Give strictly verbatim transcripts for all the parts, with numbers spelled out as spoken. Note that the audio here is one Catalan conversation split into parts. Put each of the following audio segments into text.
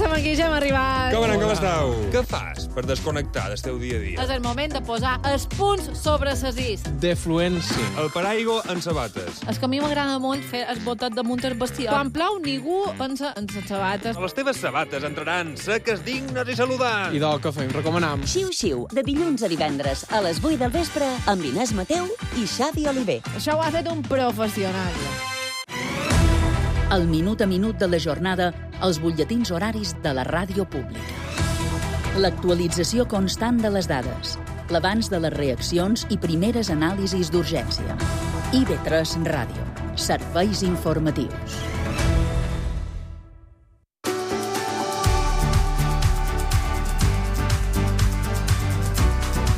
estem aquí, ja hem arribat. Com anem, com esteu? Què fas per desconnectar del teu dia a dia? És el moment de posar els punts sobre ses is. Defluència. El paraigua en sabates. És que a mi m'agrada molt fer el botet damunt el vestidor. Quan plou, ningú pensa en les sabates. Les teves sabates entraran seques, dignes i saludants. I del que fem, recomanam. Xiu-xiu, de dilluns a divendres, a les vuit del vespre, amb Inés Mateu i Xavi Oliver. Això ho ha fet un professional. El minut a minut de la jornada, els butlletins horaris de la ràdio pública. L'actualització constant de les dades, l'abans de les reaccions i primeres anàlisis d'urgència. I ve tres Ràdio, serveis informatius.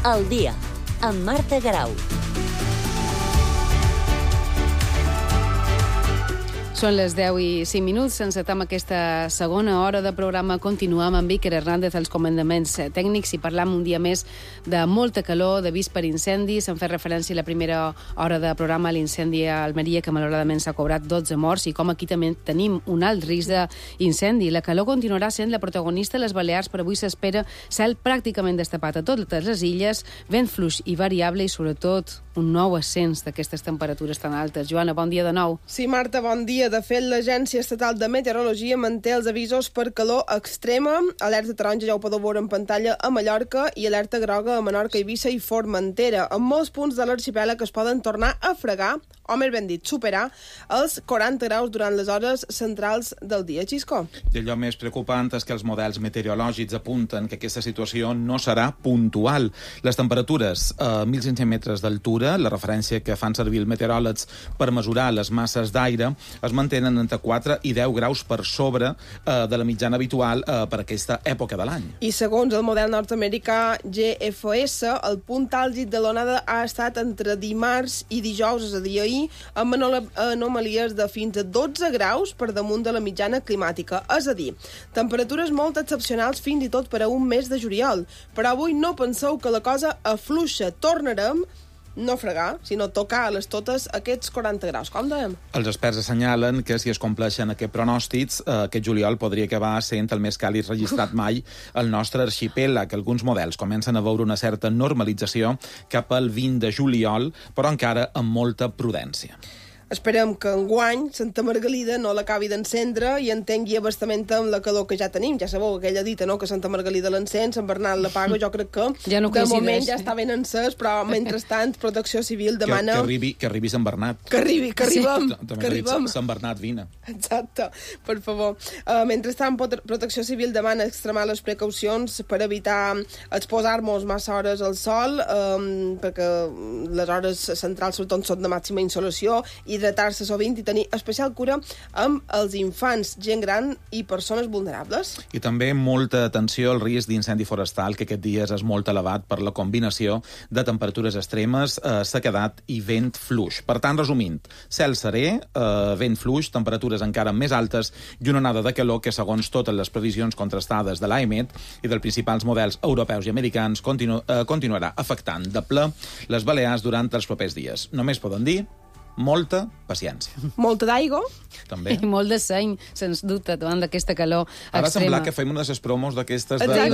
El dia, amb Marta Garau. Són les deu i cinc minuts, encetem aquesta segona hora de programa. Continuem amb Iker Hernández als comandaments tècnics i parlam un dia més de molta calor, d'avís per incendis. Hem fet referència a la primera hora de programa a l'incendi a Almeria, que malauradament s'ha cobrat dotze morts, i com aquí també tenim un alt risc d'incendi. La calor continuarà sent la protagonista a les Balears, però avui s'espera cel pràcticament destapat a totes les illes, vent fluix i variable i, sobretot, un nou ascens d'aquestes temperatures tan altes. Joana, bon dia de nou. Sí, Marta, bon dia. De fet, l'Agència Estatal de Meteorologia manté els avisos per calor extrema. Alerta taronja, ja ho podeu veure en pantalla, a Mallorca, i alerta groga a Menorca, Eivissa i Formentera. En molts punts de l'arxipèlag es poden tornar a fregar, o més ben dit, superar els quaranta graus durant les hores centrals del dia. Xisco? I allò més preocupant és que els models meteorològics apunten que aquesta situació no serà puntual. Les temperatures a mil cinc-cents metres d'altura, la referència que fan servir els meteoròlegs per mesurar les masses d'aire, es mantenen entre quatre i deu graus per sobre eh, de la mitjana habitual eh, per aquesta època de l'any. I segons el model nord-americà G F S, el punt àlgid de l'onada ha estat entre dimarts i dijous, és a dir, ahir, amb anomalies de fins a dotze graus per damunt de la mitjana climàtica. És a dir, temperatures molt excepcionals fins i tot per a un mes de juliol. Però avui no penseu que la cosa afluixa. Tornarem no fregar, sinó tocar a les totes aquests quaranta graus. Com dèiem? Els experts assenyalen que si es compleixen aquests pronòstics, eh, aquest juliol podria acabar sent el més càlid registrat mai al nostre arxipèlag. Alguns models comencen a veure una certa normalització cap al vint de juliol, però encara amb molta prudència. Esperem que enguany Santa Margalida no l'acabi d'encendre i entengui abastament amb la calor que ja tenim. Ja sabeu aquella dita, no?, que Santa Margalida l'encén, Sant Bernat l'apaga. Jo crec que ja no de moment ja està ben encès, però mentrestant Protecció Civil demana... Que, que, arribi, que arribi Sant Bernat. Que arribi, que arribem. Sí. També que arribem. Sant Bernat, vine. Exacte, per favor. Uh, mentrestant, Protecció Civil demana extremar les precaucions per evitar exposar-nos massa hores al sol, um, perquè les hores centrals sobretot són de màxima insolació, i hidratar-se sovint i tenir especial cura amb els infants, gent gran i persones vulnerables. I també molta atenció al risc d'incendi forestal, que aquest dies és molt elevat per la combinació de temperatures extremes, eh, sequedat i vent fluix. Per tant, resumint, cel serè, eh, vent fluix, temperatures encara més altes i una onada de calor que, segons totes les previsions contrastades de l'A E M E T i dels principals models europeus i americans, continu eh, continuarà afectant de ple les Balears durant els propers dies. Només poden dir molta paciència. Molta d'aigua. També. I molt de seny, sens dubte, davant d'aquesta calor extrema. Ara sembla que fem una de les promos d'aquestes de dia en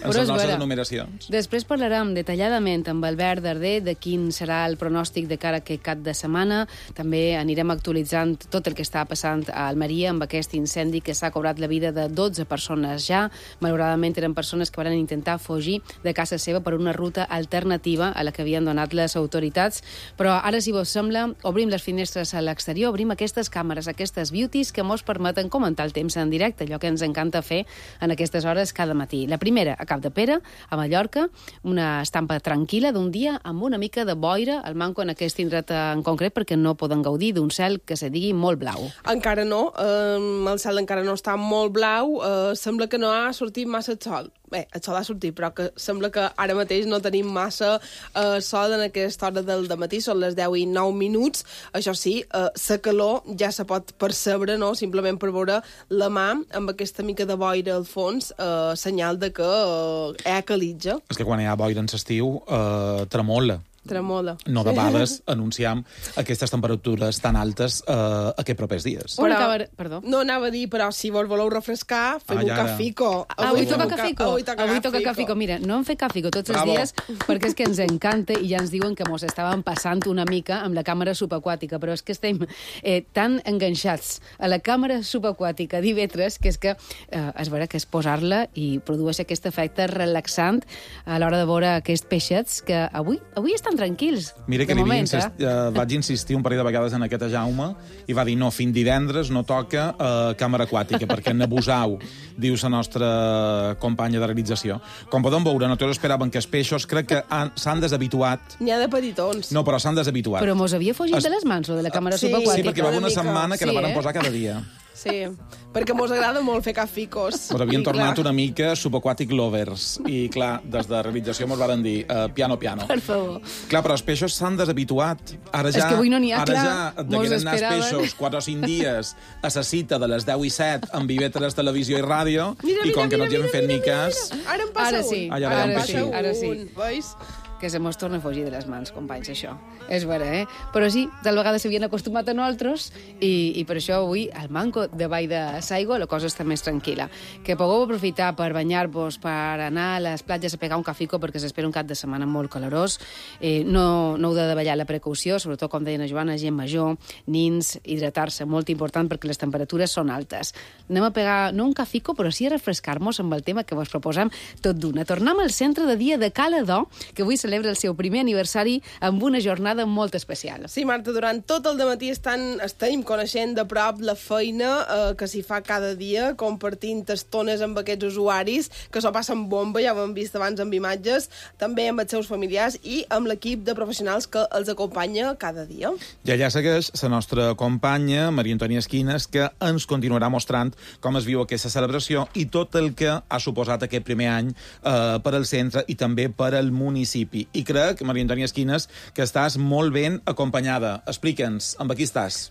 les nostres enumeracions. Després parlarem detalladament amb Albert Darder de quin serà el pronòstic de cara a aquest cap de setmana. També anirem actualitzant tot el que està passant a Almeria amb aquest incendi que s'ha cobrat la vida de dotze persones ja. Malauradament eren persones que van intentar fugir de casa seva per una ruta alternativa a la que havien donat les autoritats. Però ara, si vos sembla, obrim les finestres a l'exterior, obrim aquestes càmeres, aquestes beauties que mos permeten comentar el temps en directe, allò que ens encanta fer en aquestes hores cada matí. La primera, a Capdepera, a Mallorca, una estampa tranquil·la d'un dia amb una mica de boira, al manco en aquest indret en concret, perquè no poden gaudir d'un cel que se digui molt blau. Encara no, eh, el cel encara no està molt blau, eh, sembla que no ha sortit massa el sol. Bé, el sol ha sortit, però que sembla que ara mateix no tenim massa eh, sol en aquesta hora del dematí, són les deu i nou minuts. Això sí, eh, la calor ja se pot percebre, no?, simplement per veure la mà amb aquesta mica de boira al fons, eh, senyal de que eh, hi ha calitja. És que quan hi ha boira en l'estiu, eh, tremola. tremola. no debades anunciam aquestes temperatures tan altes eh, aquests propers dies. Però, Però- perdó. No anava a dir, però si vos voleu refrescar, feu Ai, un ara. cafico. Avui feu toca un ca- cafico. Avui toca Avui toca cafico. cafico. Mira, no hem fet cafico tots els Bravo. dies perquè és que ens encanta i ja ens diuen que mos estàvem passant una mica amb la càmera subaquàtica, però és que estem eh, tan enganxats a la càmera subaquàtica d'Ivetres que és que eh, és vera que és posar-la i produeix aquest efecte relaxant a l'hora de veure aquests peixets que avui avui estan tranquils. Mira que de li havia moment, insist, eh, vaig insistir un parell de vegades en aquest a Jaume i va dir no, fins divendres no toca eh, càmera aquàtica perquè n'abusau, diu la nostra companya de realització. Com podem veure, nosaltres esperàvem que els peixos crec que han- s'han deshabituat. N'hi ha de petitons. No, però s'han deshabituat. Però mos havia fugit Es- de les mans, lo de la càmera Sí, subaquàtica. Sí, perquè va haver una Una mica. setmana que Sí, la van eh? posar cada dia. Sí, perquè mos agrada molt fer caficos. Ens havien I, tornat clar, una mica subaquàtic lovers. I, clar, des de realització mos van dir uh, piano, piano. Per favor. Clar, però els peixos s'han deshabituat. Ara ja, És que avui no n'hi ha, ara clar. ja et Mos degueren anar els esperaven. peixos quatre o cinc dies a la cita de les deu i set amb Vivetres Televisió i Ràdio Mira, i com mira, que no mira, ens hi hem fet mira, ni mira, cas... mira. Ara em passa Ara un. sí, Ah, ja ara veiem em que passa sí. un, Ara sí. Veus? Que se mos torna a fugir de les mans, companys, això. És vera, eh? Però sí, tal vegada s'havien acostumat a nosaltres i, i per això avui, al manco de Vall de Saigo, la cosa està més tranquil·la. Que pugueu aprofitar per banyar-vos, per anar a les platges a pegar un cafico, perquè s'espera un cap de setmana molt calorós. Eh, no, no heu de davallar la precaució, sobretot, com deia la Joana, gent major, nins, hidratar-se, molt important, perquè les temperatures són altes. Anem a pegar, no un cafico, però sí a refrescar-nos amb el tema que vos proposam tot d'una. Tornem al centre de dia de Cala d'O, que avui celebra el seu primer aniversari amb una jornada molt especial. Sí, Marta, durant tot el dematí estan, estem coneixent de prop la feina eh, que s'hi fa cada dia, compartint estones amb aquests usuaris, que s'ho passen bomba, ja ho hem vist abans amb imatges, també amb els seus familiars i amb l'equip de professionals que els acompanya cada dia. I allà segueix la nostra companya, Maria Antònia Esquines, que ens continuarà mostrant com es viu aquesta celebració i tot el que ha suposat aquest primer any eh, per al centre i també per al municipi. I crec, Maria Antònia Esquines, que estàs molt ben acompanyada. Explica'ns, amb qui estàs?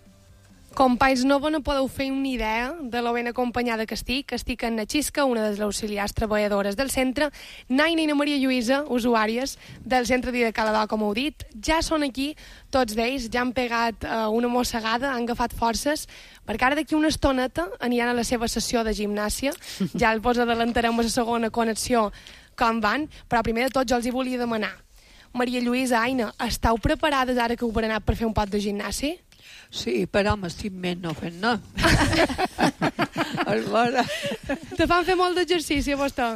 Companys, no vos no podeu fer una idea de lo ben acompanyada que estic. Estic en na Xisca, una de les auxiliars treballadores del centre, Naina i na Maria Lluïsa, usuàries del centre de Cala d'O, com heu dit. Ja són aquí, tots d'ells, ja han pegat uh, una mossegada, han agafat forces, perquè ara d'aquí una estoneta aniran a la seva sessió de gimnàsia. Ja el vos adelantarem a la segona connexió com van, però primer de tot jo els hi volia demanar. Maria Lluïsa, Aina, estàu preparades ara que heu berenat per fer un pot de gimnàsia? Sí, però m'estic més no fent no. Aleshores, Te fan fer molt d'exercici a vostè?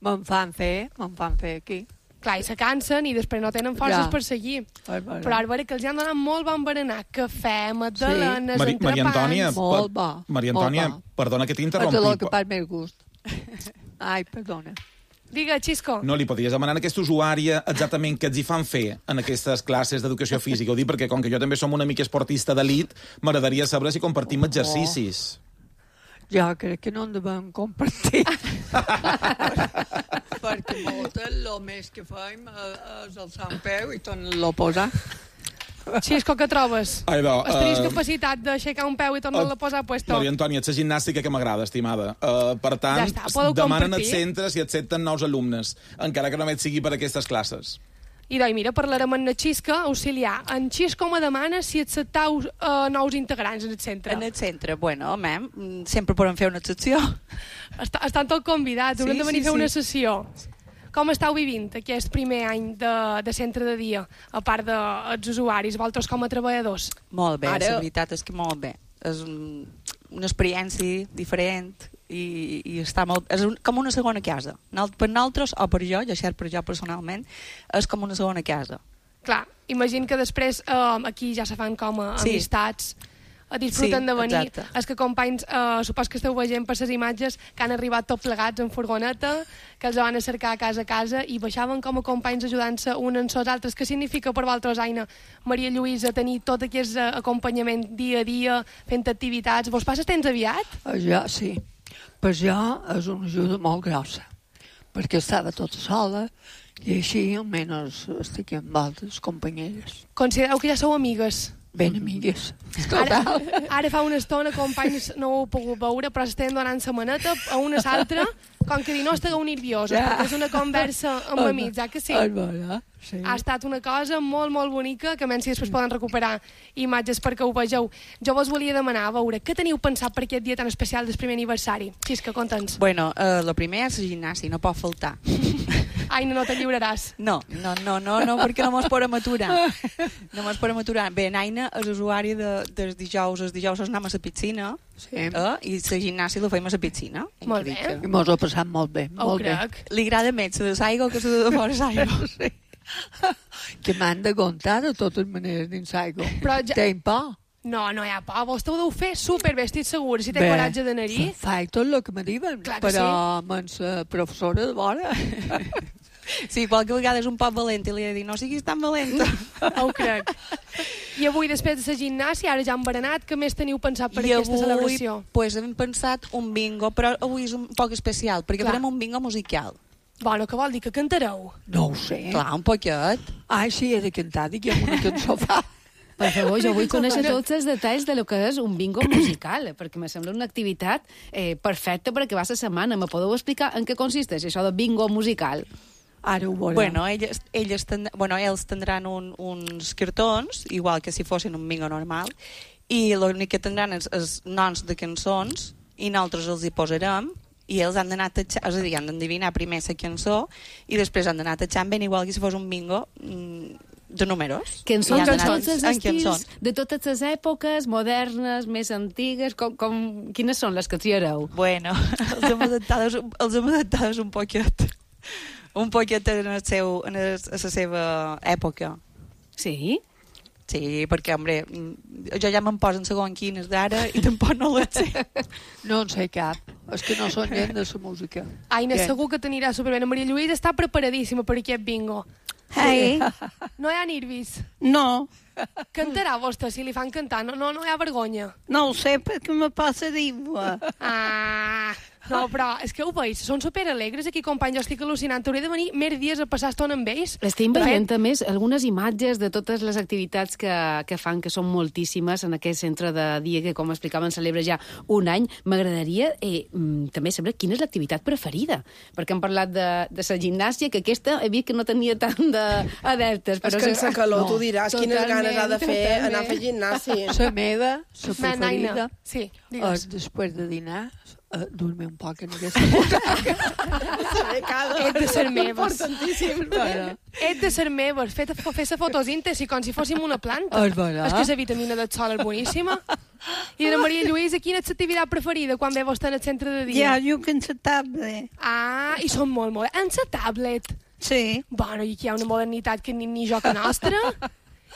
me'n fan fer, me'n fan fer aquí. Clar, i se cansen i després no tenen forces Ja. per seguir. Aleshores. Però ara veure que els han donat molt bon berenar. Cafè, magdalenes, Mari Maria Antònia, entrepans... Molt per- bo, Maria molt Antònia, bo. perdona que És el t'interrompi. que pas més gust. Ai, perdona. Digue, Xisco. No, li podries demanar a aquesta usuària exactament què els hi fan fer en aquestes classes d'educació física. Ho dic perquè, com que jo també som una mica esportista d'elit, m'agradaria saber si compartim exercicis. Jo crec que no en devem compartir. Perquè moltes, el més que fem eh, és el Sant Peu i tornen-lo a posar. Xisco, què trobes? Ai, no, Estaries eh, capacitat d'aixecar un peu i tornar-lo a posar a puesto? Maria Antònia, és la gimnàstica que m'agrada, estimada. Uh, per tant, Ja està, podeu demanen compartir. als centres i accepten nous alumnes, encara que només sigui per aquestes classes. I doncs, mira, parlarem amb la Xisca, auxiliar. En Xisco me demana si acceptau uh, nous integrants en el centre. En el centre, bueno, mem, sempre podem fer una excepció. Est estan tots convidats, haurem Sí, de venir sí, a fer una sí. sessió. Com estàu vivint aquest primer any de, de centre de dia, a part dels de, usuaris, vosaltres com a treballadors? Molt bé, Ara- la veritat és que molt bé. És un, una experiència diferent i, i està molt, és un, com una segona casa. Nal- Per nosaltres, o per jo, ja cert per jo personalment, és com una segona casa. Clar, imagino que després eh, aquí ja se fan com a Sí. amistats, a disfruten Sí, de venir. exacte. És que companys, eh, supos que esteu veient per les imatges que han arribat tots plegats en furgoneta, que els van a cercar a casa a casa i baixaven com a companys ajudant-se uns en els altres. Què significa per vosaltres, Aina, Maria Lluïsa, tenir tot aquest eh, acompanyament dia a dia, fent activitats? Vos passes temps aviat? Eh, Jo, sí. Per jo és una ajuda molt grossa, perquè estava tota sola i així almenys estic amb altres companyeres. Considereu que ja sou amigues? Ben amigues. Ara, ara fa una estona, companys, no ho heu pogut veure, però estem donant la maneta a una a l'altra, com que dir, no estigueu nerviosos, ja. perquè és una conversa amb amics, eh, que sí? Sí. Ha estat una cosa molt, molt bonica, que menys si després poden recuperar imatges perquè ho vegeu. Jo vos volia demanar, a veure, què teniu pensat per aquest dia tan especial del primer aniversari? Xisca, conta'ns. Bueno, eh, lo primer és el gimnasi, no pot faltar. Ai, no, no te lliuraràs. No, no, no, no, no perquè no mos podem aturar. No mos podem aturar. Bé, Naina és usuari de, dels dijous, els dijous anem a la piscina, sí. eh, i el gimnasi lo fem a la piscina. Molt bé. I mos ho passat molt bé, Ho molt bé. crec. Li agrada més la de l'aigua que la de fora l'aigua. Sí. Que m'han de comptar de totes maneres dins l'aigua. Però ja... Tenc por. No, no hi ha por. Vostè ho deu fer superbé, estic segura. Si té coratge d'anar-hi... Faig tot el que me diuen, Clar que però sí. amb la professora de vora... Sí, qualque vegada és un poc valent i li he de dir, no siguis tan valenta. Ho crec. I avui, després de la gimnàsia, ara ja han berenat, què més teniu pensat per I aquesta avui, celebració? pues, hem pensat un bingo, però avui és un poc especial, perquè Clar. farem un bingo musical. Bueno, què vol dir, que cantareu? No ho sé. Clar, un poquet. Ai, sí, he de cantar, diguem una cançó fa. Per favor, jo vull conèixer tots els detalls de lo que és un bingo musical, perquè me sembla una activitat eh, perfecta per acabar la setmana. Me podeu explicar en què consisteix això de bingo musical? Ara ho veurem. Bueno, elles, elles ten, bueno, ells tindran un, uns cartons, igual que si fossin un bingo normal, i l'únic que tindran és, és noms de cançons, i nosaltres els hi posarem, i ells han d'anar tatxant, és a dir, han d'endevinar primer la cançó, i després han d'anar tatxant ben igual que si fos un bingo mm, de números. Cançons de tots els en estils, cançons. de totes les èpoques, modernes, més antigues, com, com, quines són les que triareu? Bueno, els hem adaptades, els hem adaptades un poquet. Un poquet en, el seu, en el, a la seva època. Sí? Sí, perquè, hombre, jo ja me'n posen segon quines d'ara i tampoc no les sé. No en sé cap. És que no són gent de la música. Aina, Què? segur que t'anirà superbé. La Maria Lluïsa està preparadíssima per aquest bingo. Hey. No hi ha nervis. No, Cantarà vostè, si li fan cantar. No, no, no hi ha vergonya. no ho sé perquè me passa d'aigua. Ah, no, però és que ho veus, són superalegres aquí, company, jo estic al·lucinant. Hauria de venir més dies a passar estona amb ells. Estem veient, a més, algunes imatges de totes les activitats que, que fan, que són moltíssimes en aquest centre de dia que, com explicaven, celebra ja un any. M'agradaria eh, també saber quina és l'activitat preferida, perquè hem parlat de, de la gimnàsia, que aquesta he vist que no tenia tant d'adeptes. És que en sa calor tu diràs quines totalment, ganes ha de fer totalment. anar a fer gimnàsia. La meva, la Na- Naina, preferida, sí, és digues. després de dinar, uh, dormir un poc en aquesta butaca. Ets de ser meves. Importantíssim. Ets de ser meves. Fer, fer la fotosíntesi com si fóssim una planta. És vera. És que la vitamina del sol és boníssima. I de la Maria Lluïsa, quina és l'activitat preferida quan ve vostè en el centre de dia? Ja, jo que en sa tablet. Ah, i són molt, molt... En la tablet. Sí. Bueno, i aquí hi ha una modernitat que ni, ni joc nostra.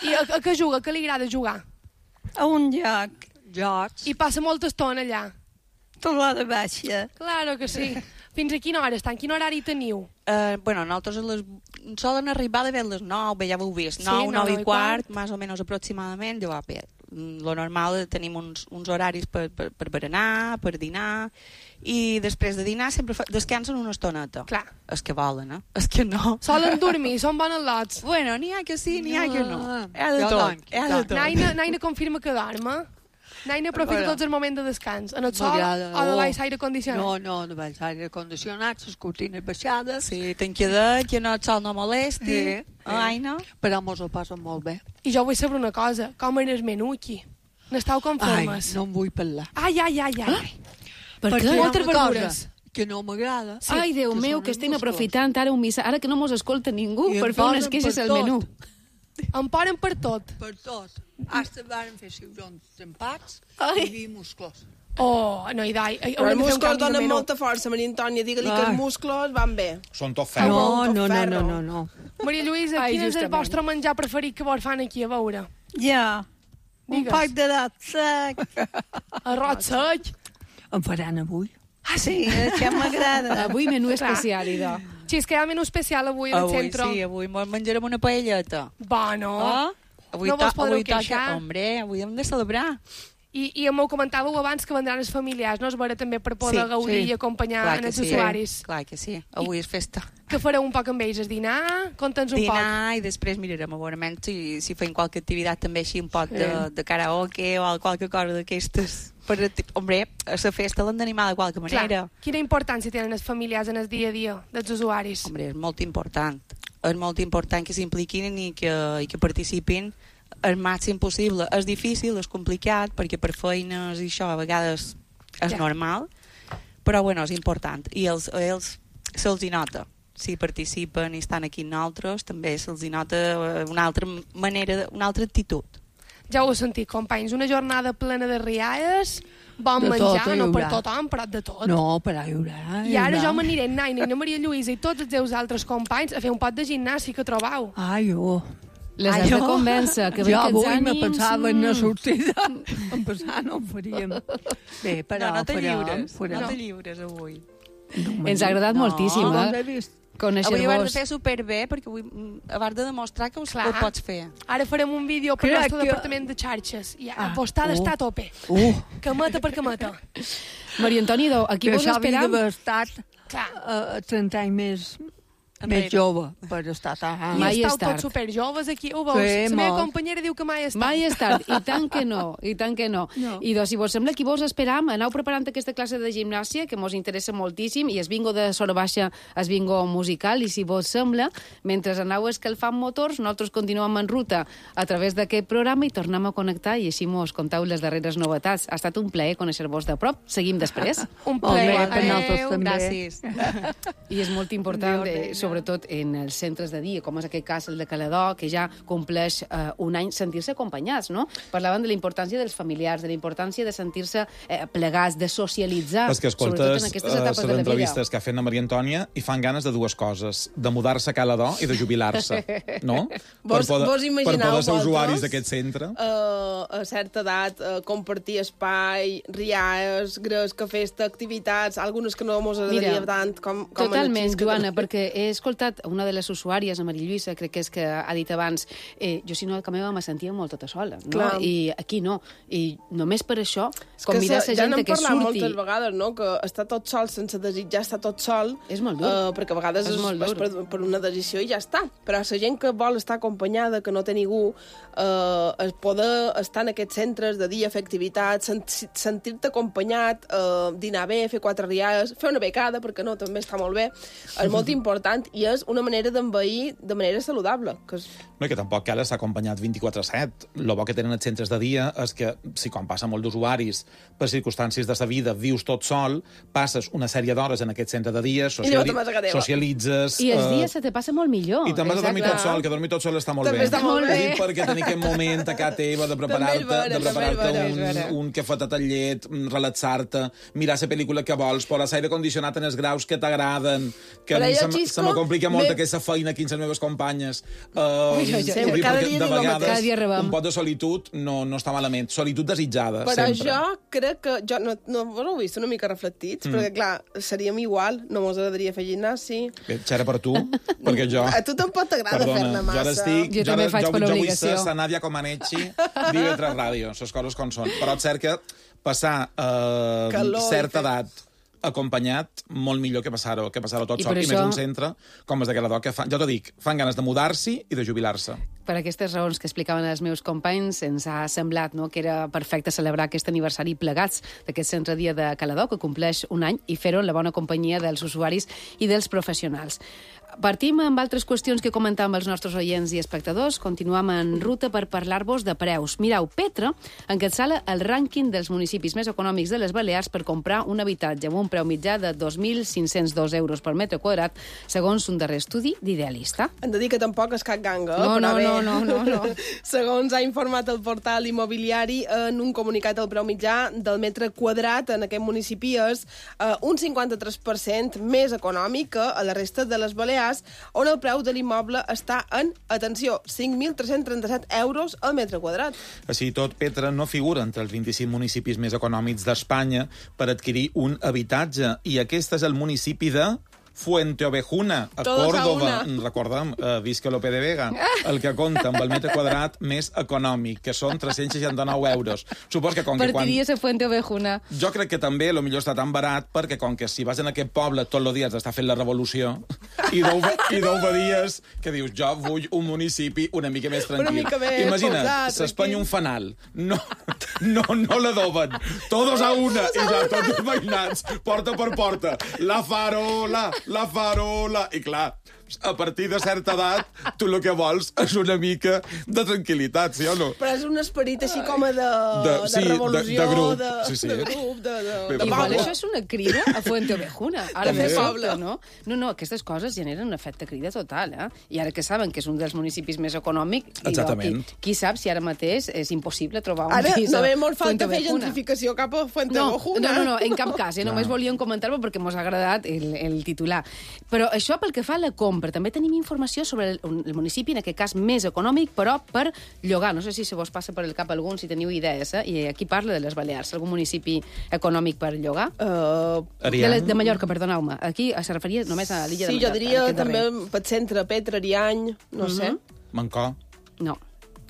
I a, a què juga? A què li agrada jugar? A un lloc. Jocs. I passa molta estona allà. Tot l'hora baixa. Claro que sí. Fins a quina hora estan? Quin horari teniu? Uh, bueno, nosaltres a les, solen arribar de bé a les nou, bé, ja ho heu vist, Sí, nou, nou, nou nou i i quart, quart. més o menys aproximadament, llavors, bé, lo normal tenim uns, uns horaris per, per, per berenar, per dinar, i després de dinar sempre fa, descansen una estoneta. Clar. És que volen, eh? És que no. Solen dormir, són bones lots. Bueno, n'hi ha que sí, n'hi ha que no. Hi ha de Jo tot, doncs, hi ha de doncs. tot. Naina, Naina confirma que dorm, eh? Naina aprofita Bueno. tots els moments de descans. En el sol M'agrada, o de oh. baix aire condicionat? No, no, de baix aire condicionat, les cortines baixades. Sí, ten quedat, que no, el sol no molesti. Sí, Ai, no? Però mos ho passen molt bé. I jo vull saber una cosa. Com era el menú aquí? N'esteu Ai, conformes? no en vull parlar. Ai, ai, ai, ai. ai. Per Perquè què? hi ha Moltes una cosa verdures. que no m'agrada. Sí, Ai, Déu que meu, són que els estem musclos. aprofitant ara un missa, ara que no mos escolta ningú, I per em fer unes posen queixes per al tot. menú. Em poren per tot. Per tot. Hasta varen fer ciurons empats Ai. i vi musclos. Oh, no, i dai. Però els musclos donen molta força, Maria Antònia. Digue-li que Ai. els musclos van bé. Són tot ferro. No, molt no, no, ferro. no, no, no. Maria Lluïsa, Ai, quin és el justament. vostre menjar preferit que vos fan aquí a veure? Ja. Un Digues. poc de dat sec. Arròs sec. Em faran avui. Ah, Sí, això m'agrada. Avui menú Clar. especial, idò. Sí, és que hi ha menú especial avui al Avui centre. sí, avui mos menjarem una paelleta. Bueno. Oh? Avui No vos to- podreu avui toca, queixar. hombre, avui hem de celebrar. I, i m'ho comentàveu abans que vendran els familiars, no? És vera també per poder Sí, gaudir sí. i acompanyar Clar que els sí. usuaris. Clar que sí, avui és festa. Que fareu un poc amb ells? És dinar? Conta'ns un poc. Dinar i després mirarem a veure si, si fem qualque activitat també així un pot de, Sí. de karaoke o qualque cosa d'aquestes. Per, hombre, a la festa l'hem d'animar de qualque manera. Clar, quina importància tenen els familiars en el dia a dia dels usuaris? Hombre, és molt important. És molt important que s'impliquin i, que, i que participin el màxim possible. És difícil, és complicat, perquè per feines i això a vegades és Ja. normal, però bueno, és important. I els, ells se'ls hi nota. Si participen i estan aquí amb nosaltres, també se'ls hi nota una altra manera, una altra actitud. Ja ho heu sentit, companys, una jornada plena de rialles, bon De menjar, tot hi no per haurà. tothom, però de tot. No, però hi haurà. I ara jo m'aniré amb Naina i na Maria Lluïsa i tots els seus altres companys a fer un pot de gimnàstica que trobau. Ai, jo... Les Ai, has de jo- convèncer, que bé jo que els avui me ànims... pensava en una mm. sortida. En passar no ho faríem. Bé, però no, no te farem, lliures, farem. no te lliures avui. No, Ens ha agradat No. moltíssim, no, eh? he vist. Avui ho has de Conèixer-vos. fer superbé, perquè avui mm, abans de demostrar que ho, Clar. ho pots fer. Ara farem un vídeo per Crec al nostre que- departament de xarxes. I Ah, apostada oh. està a tope. Uh, Cameta per cameta. Maria Antònia, aquí que vos això havia esperam. d'haver estat Clar. uh, trenta anys més, Enrere. més jove per estar tan... I Mai és estàu tard. tots superjoves aquí, ho veus? Sí, La meva molt. companyera diu que mai és tard. Mai és tard, i tant que no, i tant que no. No. I doncs, si vos sembla, aquí vos esperam, aneu preparant aquesta classe de gimnàsia, que mos interessa moltíssim, i es bingo de Sora Baixa, es bingo musical, i si vos sembla, mentre aneu escalfant motors, nosaltres continuem en ruta a través d'aquest programa i tornem a connectar, i així mos contau les darreres novetats. Ha estat un plaer conèixer-vos de prop. Seguim després. Un Molt plaer. bé, per nosaltres Adéu. també. Gràcies. I és molt important, Adéu, eh, reina. sobretot en els centres de dia, com és aquest cas el de Caledó, que ja compleix eh, un any, sentir-se acompanyats, no? Parlaven de la importància dels familiars, de la importància de sentir-se eh, plegats, de socialitzar, És que sobretot escoltes en aquestes uh, etapes les de la vida. entrevistes que ha fet la Maria Antònia i fan ganes de dues coses, de mudar-se a Caledó i de jubilar-se, no? Vos- per poder, vos per imagineu poder ser vosaltres? usuaris d'aquest centre. Uh, a certa edat, uh, compartir espai, rialles, gres, que festa, activitats, algunes que no mos agradaria Mira, tant com, com Totalment, en el xisc. Joana, perquè he escoltat una de les usuàries, a Maria Lluïsa, crec que és que ha dit abans, eh, jo si no a casa meva me sentia molt tota sola, no? Clar. I aquí no. I només per això, És convidar se- la ja gent n'hem que parlat surti... moltes vegades, no?, que estar tot sol sense desitjar estar tot sol... És molt dur. Uh, perquè a vegades És és, molt és dur. per, per una decisió i ja està. Però la gent que vol estar acompanyada, que no té ningú, uh, es poder estar en aquests centres de dia, fer activitats, sent, sentir-te acompanyat, uh, dinar bé, fer quatre rialles, fer una becada, perquè no, també està molt bé, és molt important i és una manera d'envair de manera saludable. Que és... No, i que tampoc cal estar acompanyat vint-i-quatre set. El bo que tenen els centres de dia és que, si quan passa molt d'usuaris, per circumstàncies de sa vida, vius tot sol, passes una sèrie d'hores en aquest centre de dia, sociali te'n vas a casa teva. socialitzes... I els eh, dies se te passa molt millor. I també has de dormir Exacte. tot sol, que dormir tot sol està molt També bé. està molt bé. Ho dic perquè tenir aquest moment a casa teva de preparar-te També és vera, de preparar-te també és vera. un, un cafetet amb llet, relaxar-te, mirar la pel·lícula que vols, posar l'aire condicionat en els graus que t'agraden, que Però a mi jo, se, m- Xisco, se me complica molt me- aquesta feina aquí amb les meves companyes. Uh, Ui, ui, ui, ho dic cada perquè dia de diu el mateix. vegades Cada dia rebem. un pot de solitud no, no està malament. Solitud desitjada, Però sempre. jo crec que... Jo no, no vos heu vist una mica reflectits? Mm. Perquè, clar, seríem igual, no mos agradaria fer gimnàs, Bé, xera per tu, perquè jo... A tu tampoc t'agrada fer-ne jo ara massa. estic... Jo també ara- faig jo, per jo vull obligació. ser la Nàdia Comaneci d'I V tres Ràdio, les coses com són. Però és cert que passar eh, Calor i certa fer- edat acompanyat, molt millor que passar-ho que passar-ho tot I sol. per I això- més un centre com és de Caledó, que fan, jo t'ho dic, fan ganes de mudar-s'hi i de jubilar-se. Per aquestes raons que explicaven els meus companys, ens ha semblat no, que era perfecte celebrar aquest aniversari plegats d'aquest centre dia de Caledó, que compleix un any, i fer-ho en la bona companyia dels usuaris i dels professionals. Partim amb altres qüestions que comentàvem els nostres oients i espectadors. Continuem en ruta per parlar-vos de preus. Mireu, Petra encapçala el rànquing dels municipis més econòmics de les Balears per comprar un habitatge amb un preu mitjà de dos mil cinc-cents dos euros per metre quadrat, segons un darrer estudi d'Idealista. Hem de dir que tampoc és cap ganga, No, però no, bé. no, no, no, no. Segons ha informat el portal immobiliari, en un comunicat el preu mitjà del metre quadrat en aquest municipi és eh, un cinquanta-tres per cent més econòmic que a la resta de les Balears, on el preu de l'immoble està en, atenció, cinc mil tres-cents trenta-set euros al metre quadrat. Així i tot, Petra no figura entre els vint-i-cinc municipis més econòmics d'Espanya per adquirir un habitatge, i aquest és el municipi de Fuente Ovejuna, a Todos Córdoba, a recordem, uh, visca Lope de Vega, el que compta amb el metre quadrat més econòmic, que són tres-cents seixanta-nou euros. Supos que com que quan... Partiries a Fuente Ovejuna. Jo crec que també, lo millor està tan barat, perquè com que si vas en aquest poble tot el dia has d'estar fent la revolució, i deu, i deu dies que dius, jo vull un municipi una mica més tranquil. Una mica més Imagina't, posat, s'espanya un fanal. No, no, no l'adoben. Todos a una, i ja tots els veïnats, porta per porta. La farola, la farola. I clar, a partir de certa edat, tu el que vols és una mica de tranquil·litat, sí o no? Però és un esperit així com a de, de, de sí, revolució, de, de grup. de, Sí, sí. de grup, de, de, de Igual poble. això és una crida a Fuente Ovejuna. Ara També. fer poble, no? No, no, aquestes coses generen un efecte crida total, eh? I ara que saben que és un dels municipis més econòmics, Exactament. Qui, qui sap si ara mateix és impossible trobar un Ara pis no a ve molt Fuente falta fer Ovejuna. gentrificació cap a Fuente No, Ovejuna. no, no, no, en cap cas, eh? Només volíem comentar-ho perquè mos ha agradat el, el titular. Però això pel que fa a la compra. També tenim informació sobre el, el municipi, en aquest cas més econòmic, però per llogar. No sé si se vos passa per el cap algun, si teniu idees, eh? I aquí parla de les Balears. Algun municipi econòmic per llogar? Uh, de, la, de Mallorca, perdoneu-me. Aquí se referia només a l'illa sí, de Mallorca. jo diria aquest també darrer. pel centre, Petra, Ariany, no Mhm. sé. Mancó. No.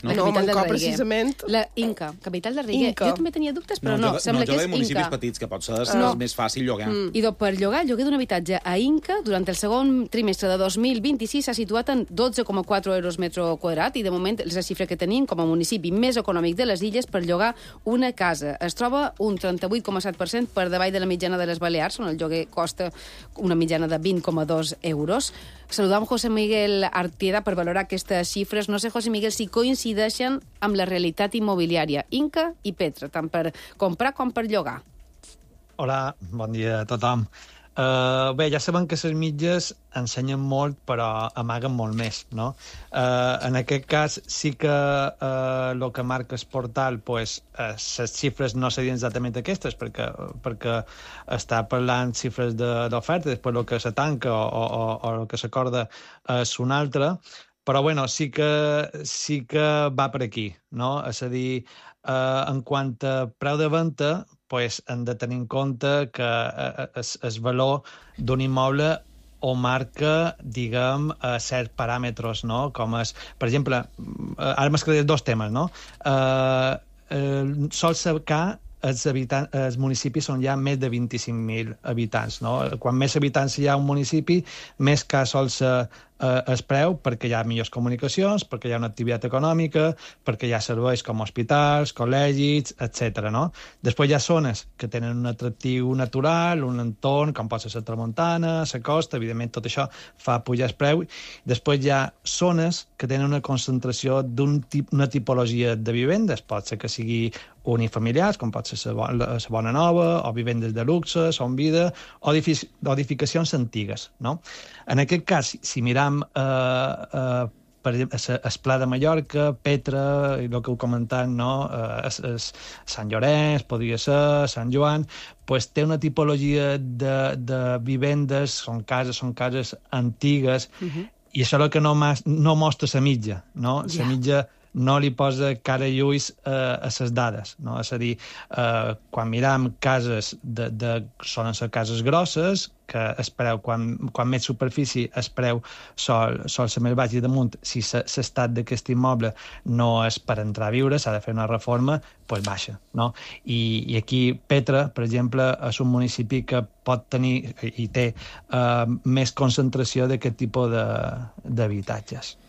No, La capital Mancó, del Reguer. precisament. La Inca, capital del Reguer. Inca. Jo també tenia dubtes, però no, jo, sembla no, que jo és de municipis Inca. petits, que pot ser No. és més fàcil llogar. Mm. I doncs, per llogar, el lloguer d'un habitatge a Inca durant el segon trimestre de dos mil vint-i-sis s'ha situat en dotze coma quatre euros metre quadrat i de moment és la xifra que tenim com a municipi més econòmic de les illes per llogar una casa. Es troba un trenta-vuit coma set per cent per davall de la mitjana de les Balears, on el lloguer costa una mitjana de vint coma dos euros. Saludam José Miguel Artieda per valorar aquestes xifres. No sé, José Miguel, si coincideixen amb la realitat immobiliària Inca i Petra, tant per comprar com per llogar. Hola, bon dia a tothom. Uh, bé, ja sabem que les mitges ensenyen molt, però amaguen molt més, no? Uh, en aquest cas, sí que el uh, que marca el portal, pues, uh, les xifres no serien exactament aquestes, perquè, perquè està parlant xifres d'oferta, després el que se tanca o, o, o el que s'acorda és un altre, però bueno, sí que, sí que va per aquí, no? És a dir, uh, en quant a preu de venda, pues, hem de tenir en compte que el valor d'un immoble o marca, diguem, uh, certs paràmetres, no? Com és, per exemple, uh, ara m'esclaré dos temes, no? Uh, uh, sol cercar els, habitants, els municipis on hi ha més de vint-i-cinc mil habitants, no? Quan més habitants hi ha un municipi, més car sol ser eh, el preu, perquè hi ha millors comunicacions, perquè hi ha una activitat econòmica, perquè hi ha serveis com hospitals, col·legis, etcètera, no? Després hi ha zones que tenen un atractiu natural, un entorn, com pot ser la tramuntana, la costa, evidentment tot això fa pujar el preu. Després hi ha zones que tenen una concentració d'una tip, tipologia de vivendes, pot ser que sigui unifamiliars, com pot ser la Bona Nova, o vivendes de luxe, Son Vida, o edificacions antigues, no? En aquest cas, si miram eh, eh, per exemple, el Pla de Mallorca, Petra, i el que heu comentat, no? eh, es, es Sant Llorenç, podria ser, Sant Joan, pues té una tipologia de, de vivendes, són cases, són cases antigues, uh-huh. i això és el que no, no mostra la mitja, no? La yeah. mitja no li posa cara i ulls eh, a les dades, no? És a dir, eh, quan miram cases de, de, solen ser cases grosses, que es preu, quan, quan més superfície es preu sol, sol ser més baix i damunt, si l'estat d'aquest immoble no és per entrar a viure, s'ha de fer una reforma, doncs baixa, no? I, i aquí Petra, per exemple, és un municipi que pot tenir i té eh, més concentració d'aquest tipus d'habitatges.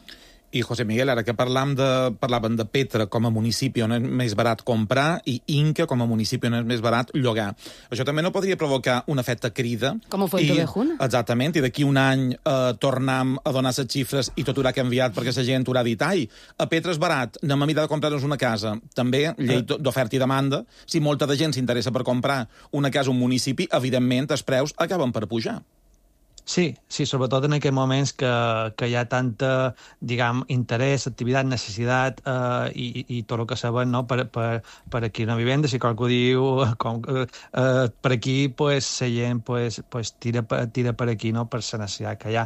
I, José Miguel, ara que parlam de, parlàvem de Petra com a municipi on és més barat comprar i Inca com a municipi on és més barat llogar. Això també no podria provocar un efecte crida? Com ho Fuente Ovejuna. Exactament, i d'aquí un any eh, tornam a donar les xifres i tot haurà canviat perquè la gent haurà dit ai, a Petra és barat, anem a mirar de comprar-nos una casa. També, llei d'oferta i demanda, si molta de gent s'interessa per comprar una casa a un municipi, evidentment els preus acaben per pujar. Sí, sí, sobretot en aquests moments que, que hi ha tanta, diguem, interès, activitat, necessitat eh, i, i tot el que sabem, no? per, per, per aquí una vivenda, si qualcú diu com, eh, per aquí, pues, la gent pues, pues, tira, tira per aquí, no? Per la necessitat que hi ha.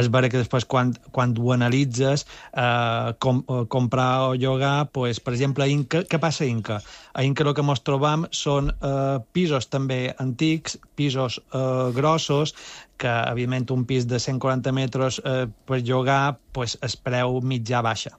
És vera que després quan, quan ho analitzes, eh, com, comprar o llogar, pues, per exemple, a Inca, què passa a Inca? A Inca el que ens trobam són eh, pisos també antics, pisos eh, grossos, que, evidentment, un pis de cent quaranta metres eh, per llogar, pues, el preu mitjà baixa.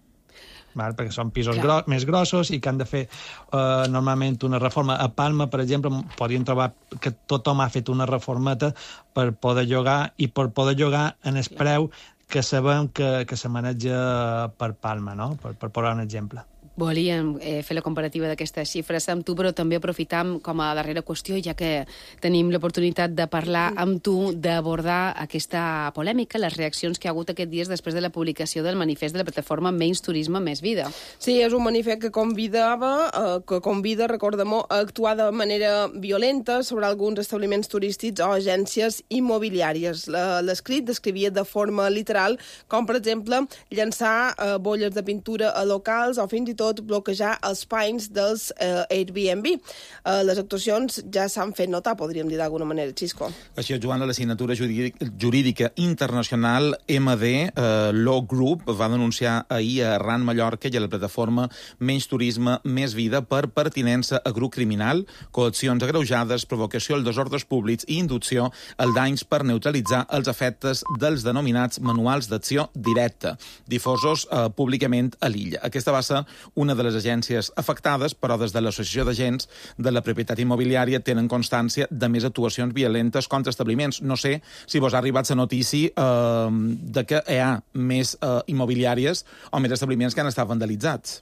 Val? Perquè són pisos gro més grossos i que han de fer eh, normalment una reforma. A Palma, per exemple, podien trobar que tothom ha fet una reformeta per poder llogar i per poder llogar en el preu que sabem que, que se maneja per Palma, no? Per, per posar un exemple. Volíem eh, fer la comparativa d'aquestes xifres amb tu, però també aprofitam com a darrera qüestió, ja que tenim l'oportunitat de parlar amb tu, d'abordar aquesta polèmica, les reaccions que hi ha hagut aquests dies després de la publicació del manifest de la plataforma Menys Turisme, Més Vida. Sí, és un manifest que convidava, eh, que convida, recordem-ho, a actuar de manera violenta sobre alguns establiments turístics o agències immobiliàries. L'escrit descrivia de forma literal com, per exemple, llançar eh, bolles de pintura a locals o fins i tot bloquejar els panys dels eh, Airbnb. Eh, les actuacions ja s'han fet notar, podríem dir d'alguna manera, Xisco. Així, Joan, la signatura jurídica internacional M D eh, Law Group va denunciar ahir a Arran, Mallorca, i a la plataforma Menys Turisme, Més Vida per pertinença a grup criminal, coaccions agreujades, provocació als desordres públics i inducció al danys per neutralitzar els efectes dels denominats manuals d'acció directa, difosos eh, públicament a l'illa. Aquesta va ser una de les agències afectades, però des de l'Associació d'Agents de la Propietat Immobiliària tenen constància de més actuacions violentes contra establiments. No sé si vos ha arribat la notícia eh, de que hi ha més eh, immobiliàries o més establiments que han estat vandalitzats.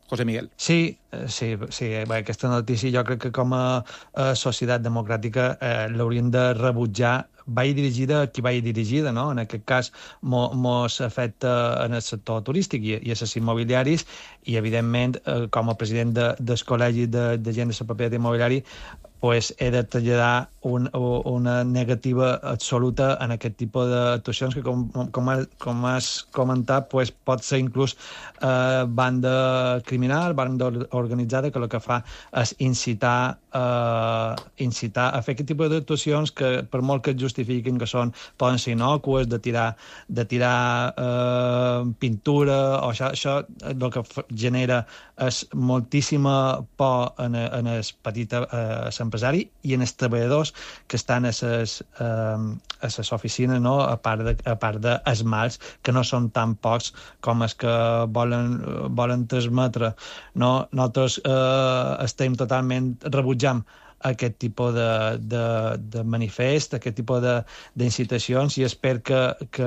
José Miguel. Sí, sí, sí. Bé, aquesta notícia jo crec que com a, a societat democràtica eh, l'hauríem de rebutjar. Vagi dirigida a qui vagi dirigida, no? En aquest cas mo, mos afecta en el sector turístic i, i els immobiliaris i, evidentment, eh, com a president de, del Col·legi de, de Gent de la Propietat Immobiliària, pues, he de traslladar un, una negativa absoluta en aquest tipus d'actuacions que, com, com, com has comentat, pues, pot ser inclús eh, banda criminal, banda organitzada, que el que fa és incitar, eh, incitar a fer aquest tipus d'actuacions que, per molt que es justifiquin que són, poden ser innocues, de tirar, de tirar eh, pintura, o això, això el que genera és moltíssima por en, en el petit eh, empresari i en els treballadors que estan a les, eh, a les oficines, no? a part de, a part de els mals, que no són tan pocs com els que volen, volen transmetre. No? Nosaltres eh, estem totalment rebutjant aquest tipus de, de, de manifest, aquest tipus d'incitacions i espero que, que,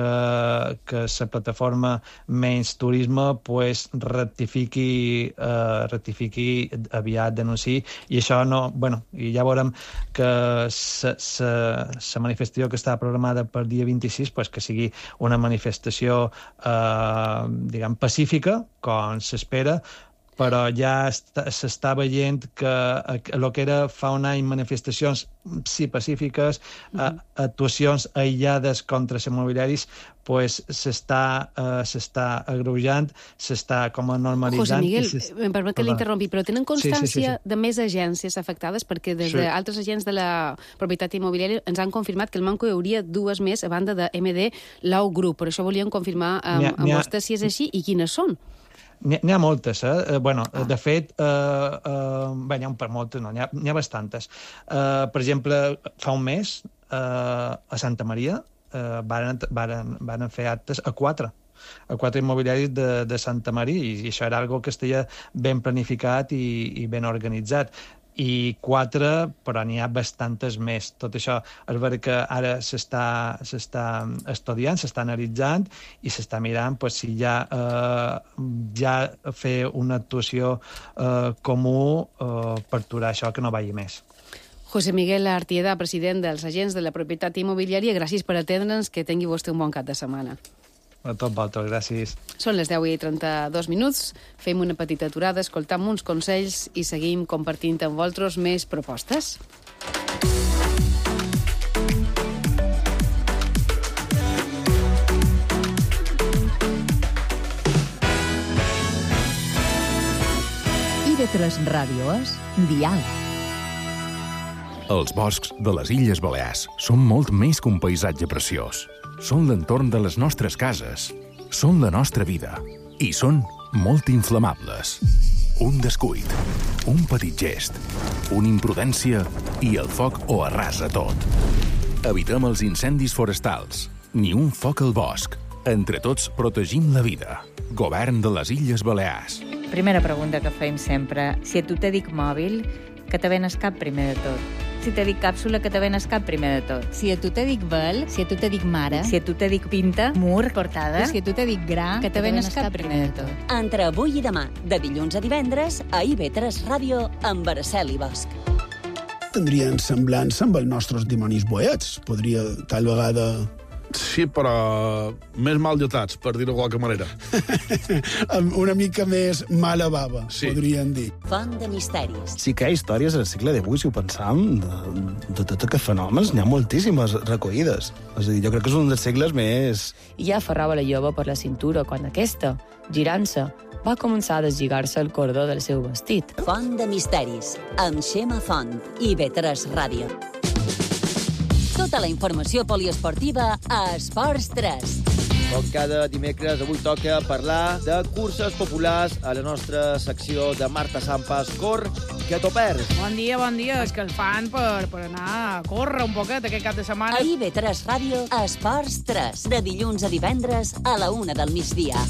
que la plataforma Menys Turisme pues, rectifiqui, eh, rectifiqui aviat, denunciï, i això no... Bueno, i ja veurem que la manifestació que està programada per dia vint-i-sis pues, que sigui una manifestació eh, diguem, pacífica, com s'espera, però ja s'està veient que el que era fa un any manifestacions sí pacífiques, uh-huh. actuacions aïllades contra els immobiliaris, pues s'està uh, s'està agreujant, s'està com a normalitzant. José Miguel, em permet que l'interrompi, però tenen constància sí, sí, sí, sí. de més agències afectades? Perquè des sí. d'altres agents de la propietat immobiliària ens han confirmat que el Manco hi hauria dues més a banda de M D Law Group. Per això volíem confirmar amb, amb vostè si és així i quines són. N'hi ha moltes, eh? Bueno, ah. de fet, eh, eh, bé, n'hi ha un per moltes, no, n'hi ha, ha bastantes. Eh, per exemple, fa un mes, eh, a Santa Maria, eh, varen, varen, varen fer actes a quatre, a quatre immobiliaris de, de Santa Maria, i, i això era algo que estava ben planificat i, i ben organitzat. I quatre, però n'hi ha bastantes més. Tot això és vera que ara s'està estudiant, s'està analitzant i s'està mirant pues, si ja, eh, ja fer una actuació eh, comú eh, per aturar això que no vagi més. José Miguel Artieda, president dels agents de la propietat immobiliària, gràcies per atendre'ns, que tingui vostè un bon cap de setmana. A tot vosaltres, gràcies. Són les deu i trenta-dos minuts, fem una petita aturada, escoltam uns consells i seguim compartint amb vosaltres més propostes. I de tres Ràdio és Dial. Els boscs de les Illes Balears són molt més que un paisatge preciós. Són l'entorn de les nostres cases, són la nostra vida i són molt inflamables. Un descuit, un petit gest, una imprudència i el foc ho arrasa tot. Evitem els incendis forestals. Ni un foc al bosc. Entre tots protegim la vida. Govern de les Illes Balears. Primera pregunta que feim sempre. Si a tu te dic mòbil, que te ven el cap primer de tot. Si te dic càpsula, que te ven el cap primer de tot. Si a tu te dic vel, si a tu te dic mare, si a tu te dic pinta, mur, portada, si a tu te dic gra, que te ven el cap primer de tot. Entre avui i demà, de dilluns a divendres, a I V tres Ràdio, amb Araceli Bosch. Tindrien semblança amb els nostres dimonis boets. Podria, tal vegada... Sí, però més mal dotats, per dir-ho de qualque manera. Una mica més mala bava, sí. Podríem dir. Font de misteris. Sí que hi ha històries al segle divuit, si ho pensam, de, de tot aquests fenòmens, n'hi ha moltíssimes recollides. És a dir, jo crec que és un dels segles més... I ja aferrava la jove per la cintura quan aquesta, girant-se, va començar a deslligar-se el cordó del seu vestit. Font de misteris, amb Xema Font, I V tres Ràdio. Tota la informació poliesportiva a Esports tres. Com cada dimecres, avui toca parlar de curses populars a la nostra secció de Marta Sampas. Cor, que t'ho perds. Bon dia, bon dia. És que el fan per, per anar a córrer un poquet aquest cap de setmana. A I V tres Ràdio, Esports tres. De dilluns a divendres a la una del migdia.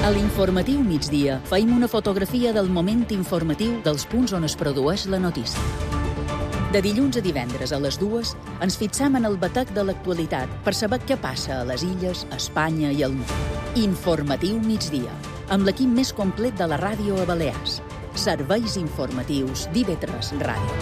A l'informatiu migdia feim una fotografia del moment informatiu dels punts on es produeix la notícia. De dilluns a divendres a les dues ens fixam en el batec de l'actualitat per saber què passa a les illes, a Espanya i al món. Informatiu migdia, amb l'equip més complet de la ràdio a Balears. Serveis informatius d'I V tres Ràdio.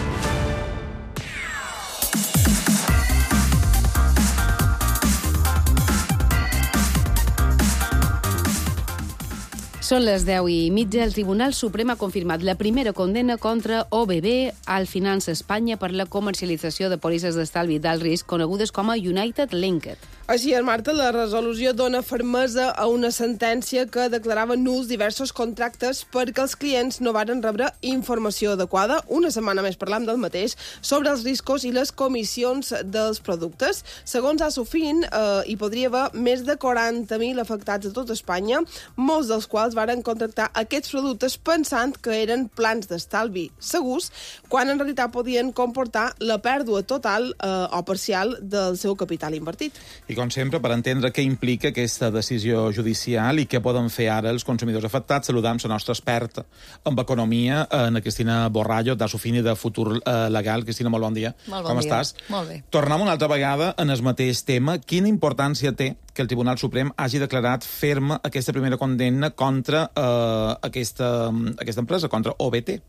Són les deu i mitja. El Tribunal Suprem ha confirmat la primera condemna contra O B B al Finança Espanya per la comercialització de pòlisses d'estalvi d'alt risc conegudes com a United Linked. Així és, Marta, la resolució dona fermesa a una sentència que declarava nuls diversos contractes perquè els clients no varen rebre informació adequada. Una setmana més parlam del mateix sobre els riscos i les comissions dels productes. Segons Asofin, eh, hi podria haver més de quaranta mil afectats a tot Espanya, molts dels quals varen contractar aquests productes pensant que eren plans d'estalvi segurs, quan en realitat podien comportar la pèrdua total eh, o parcial del seu capital invertit. I com sempre, per entendre què implica aquesta decisió judicial i què poden fer ara els consumidors afectats, saludam la nostra experta en economia, en Cristina Borrallo, d'Asofin i de Futur Legal. Cristina, molt bon dia. Molt bon Com dia. estàs? Molt bé. Tornem una altra vegada en el mateix tema. Quina importància té que el Tribunal Suprem hagi declarat ferma aquesta primera condemna contra eh, aquesta, aquesta empresa, contra O B T?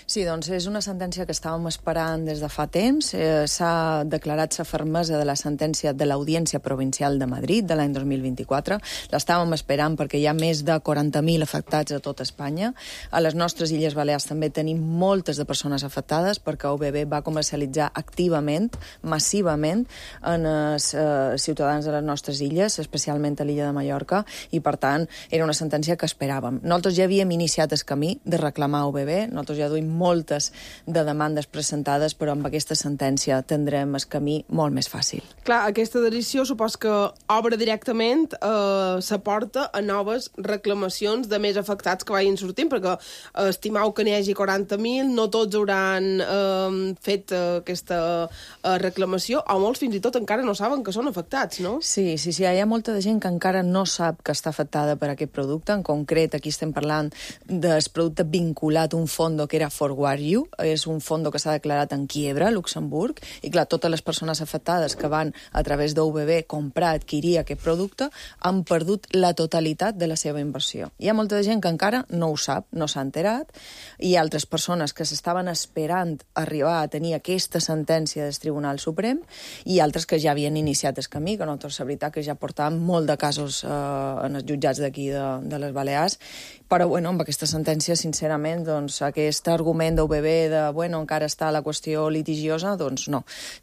Sí, doncs és una sentència que estàvem esperant des de fa temps. Eh, S'ha declarat la fermesa de la sentència de l'Audiència Provincial de Madrid de l'any dos mil vint-i-quatre. L'estàvem esperant perquè hi ha més de quaranta mil afectats a tot Espanya. A les nostres Illes Balears també tenim moltes de persones afectades perquè O B B va comercialitzar activament, massivament, en els eh, ciutadans de les nostres illes, especialment a l'illa de Mallorca, i per tant era una sentència que esperàvem. Nosaltres ja havíem iniciat el camí de reclamar O B B, nosaltres ja duim moltes de demandes presentades, però amb aquesta sentència tindrem el camí molt més fàcil. Clar, aquesta decisió supos que obre directament, eh, s'aporta a noves reclamacions de més afectats que vagin sortint, perquè eh, estimau que n'hi hagi quaranta mil, no tots hauran eh, fet eh, aquesta eh, reclamació, o molts fins i tot encara no saben que són afectats, no? Sí, sí, sí, hi ha molta de gent que encara no sap que està afectada per aquest producte. En concret, aquí estem parlant del producte vinculat a un fondo que era Forward You. És un fondo que s'ha declarat en quiebra, a Luxemburg, i clar, totes les persones afectades que van a través d'O B B comprar, adquirir aquest producte, han perdut la totalitat de la seva inversió. Hi ha molta de gent que encara no ho sap, no s'ha enterat, i altres persones que s'estaven esperant arribar a tenir aquesta sentència del Tribunal Suprem, i altres que ja havien iniciat el camí, que nosaltres, la veritat, que ja portàvem molt de casos eh, en els jutjats d'aquí de, de les Balears, però bueno, amb aquesta sentència, sincerament, doncs, aquest argument d'O B B de, bueno, encara està la qüestió litigiosa, doncs no.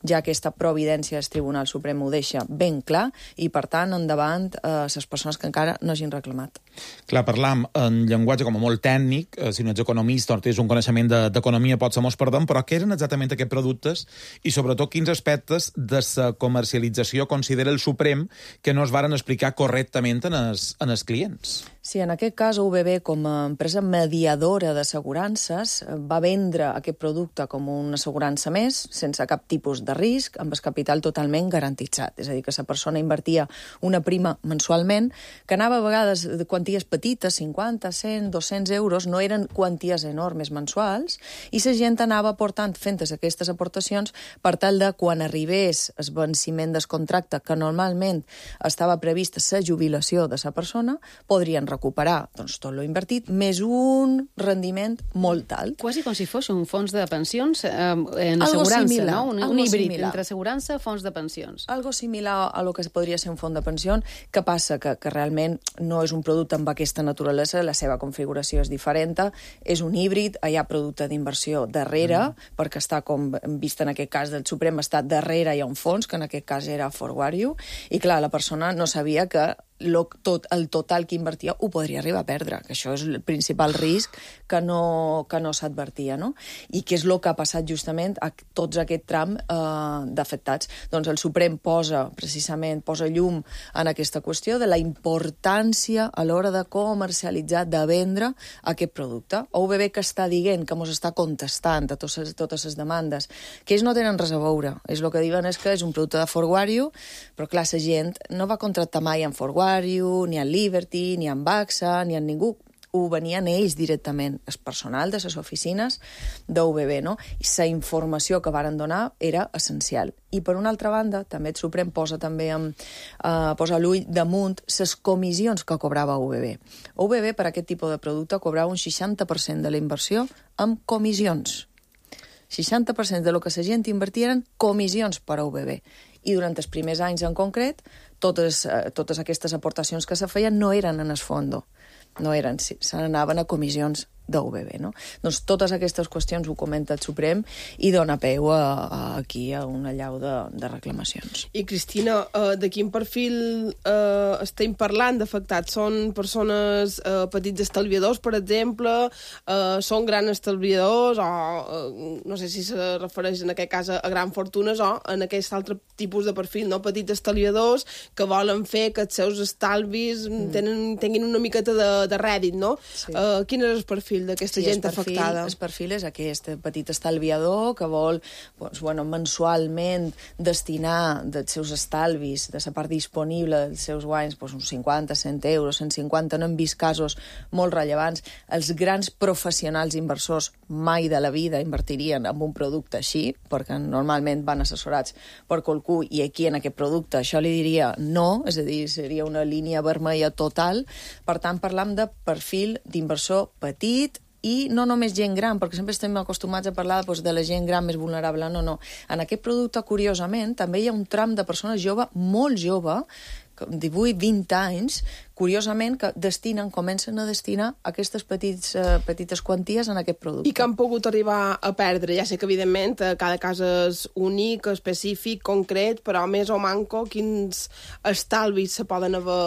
Ja aquesta providència del Tribunal Suprem ho deixa ben clar i, per tant, endavant eh, les persones que encara no hagin reclamat. Clar, parlam en llenguatge com a molt tècnic, eh, si no ets economista o tens un coneixement d'economia, de, pot ser molt perdent, però què eren exactament aquests productes i, sobretot, quins aspectes de la comercialització considera el Suprem que no es varen explicar correctament en els, en els clients? Sí, en aquest cas U B B, com a empresa mediadora d'assegurances, va vendre aquest producte com una assegurança més, sense cap tipus de risc, amb el capital totalment garantitzat. És a dir, que la persona invertia una prima mensualment, que anava a vegades de quanties petites, cinquanta, cent, dos-cents euros, no eren quanties enormes mensuals, i la gent anava aportant, fent aquestes aportacions, per tal de, quan arribés el venciment del contracte, que normalment estava prevista la jubilació de la persona, podrien recuperar doncs, tot lo invertit, més un rendiment molt alt. Quasi com si fos un fons de pensions eh, en algo assegurança, similar, no? Un, algo un híbrid similar. entre assegurança i fons de pensions. Algo similar a lo que podria ser un fons de pensió, que passa que, que realment no és un producte amb aquesta naturalesa, la seva configuració és diferent, és un híbrid, hi ha producte d'inversió darrere, mm. perquè està, com hem vist en aquest cas del Suprem, està darrere hi ha un fons, que en aquest cas era Forward You, i clar, la persona no sabia que Lo, tot, el total que invertia ho podria arribar a perdre, que això és el principal risc que no, que no s'advertia, no? I què és el que ha passat justament a tots aquest tram eh, d'afectats? Doncs el Suprem posa, precisament, posa llum en aquesta qüestió de la importància a l'hora de comercialitzar, de vendre aquest producte. O U B B que està dient, que mos està contestant a totes, totes les demandes, que ells no tenen res a veure. És el que diuen és que és un producte de Forward You, però clar, la gent no va contractar mai en Forward You, ni en Liberty, ni en AXA, ni en ningú. Ho venien ells directament, el personal de les oficines d'U B B, no? I la informació que varen donar era essencial. I per una altra banda, també el Suprem posa també amb, eh, posa l'ull damunt les comissions que cobrava U B B. U B B per aquest tipus de producte cobrava un seixanta per cent de la inversió amb comissions. seixanta per cent de lo que la gent invertia eren comissions per a U B B. I durant els primers anys en concret, totes, eh, totes aquestes aportacions que se feien no eren en el fondo, no eren, se n'anaven a comissions d'U B B, no? Doncs totes aquestes qüestions ho comenta el Suprem i dona peu a, a, aquí a una allau de, de reclamacions. I, Cristina, uh, de quin perfil uh, estem parlant d'afectats? Són persones uh, petits estalviadors, per exemple? Uh, són grans estalviadors? O uh, no sé si se refereix en aquest cas a, a grans fortunes o en aquest altre tipus de perfil, no? Petits estalviadors que volen fer que els seus estalvis mm. tenen, tinguin una miqueta de, de rèdit, no? Sí. Uh, quin és el perfil d'aquesta sí, gent el perfil, afectada? El perfil és aquest petit estalviador que vol doncs, bueno, mensualment destinar dels seus estalvis, de la part disponible dels seus guanys, doncs, uns cinquanta, cent euros, cent cinquanta, no hem vist casos molt rellevants. Els grans professionals inversors mai de la vida invertirien en un producte així, perquè normalment van assessorats per qualcú i aquí en aquest producte això li diria no, és a dir, seria una línia vermella total. Per tant, parlam de perfil d'inversor petit i no només gent gran, perquè sempre estem acostumats a parlar doncs, de la gent gran més vulnerable. No, no. En aquest producte, curiosament, també hi ha un tram de persones jove, molt jove, divuit vint anys, curiosament, que destinen, comencen a destinar aquestes petits, eh, petites quanties en aquest producte. I que han pogut arribar a perdre. Ja sé que, evidentment, cada cas és únic, específic, concret, però més o manco, quins estalvis se poden haver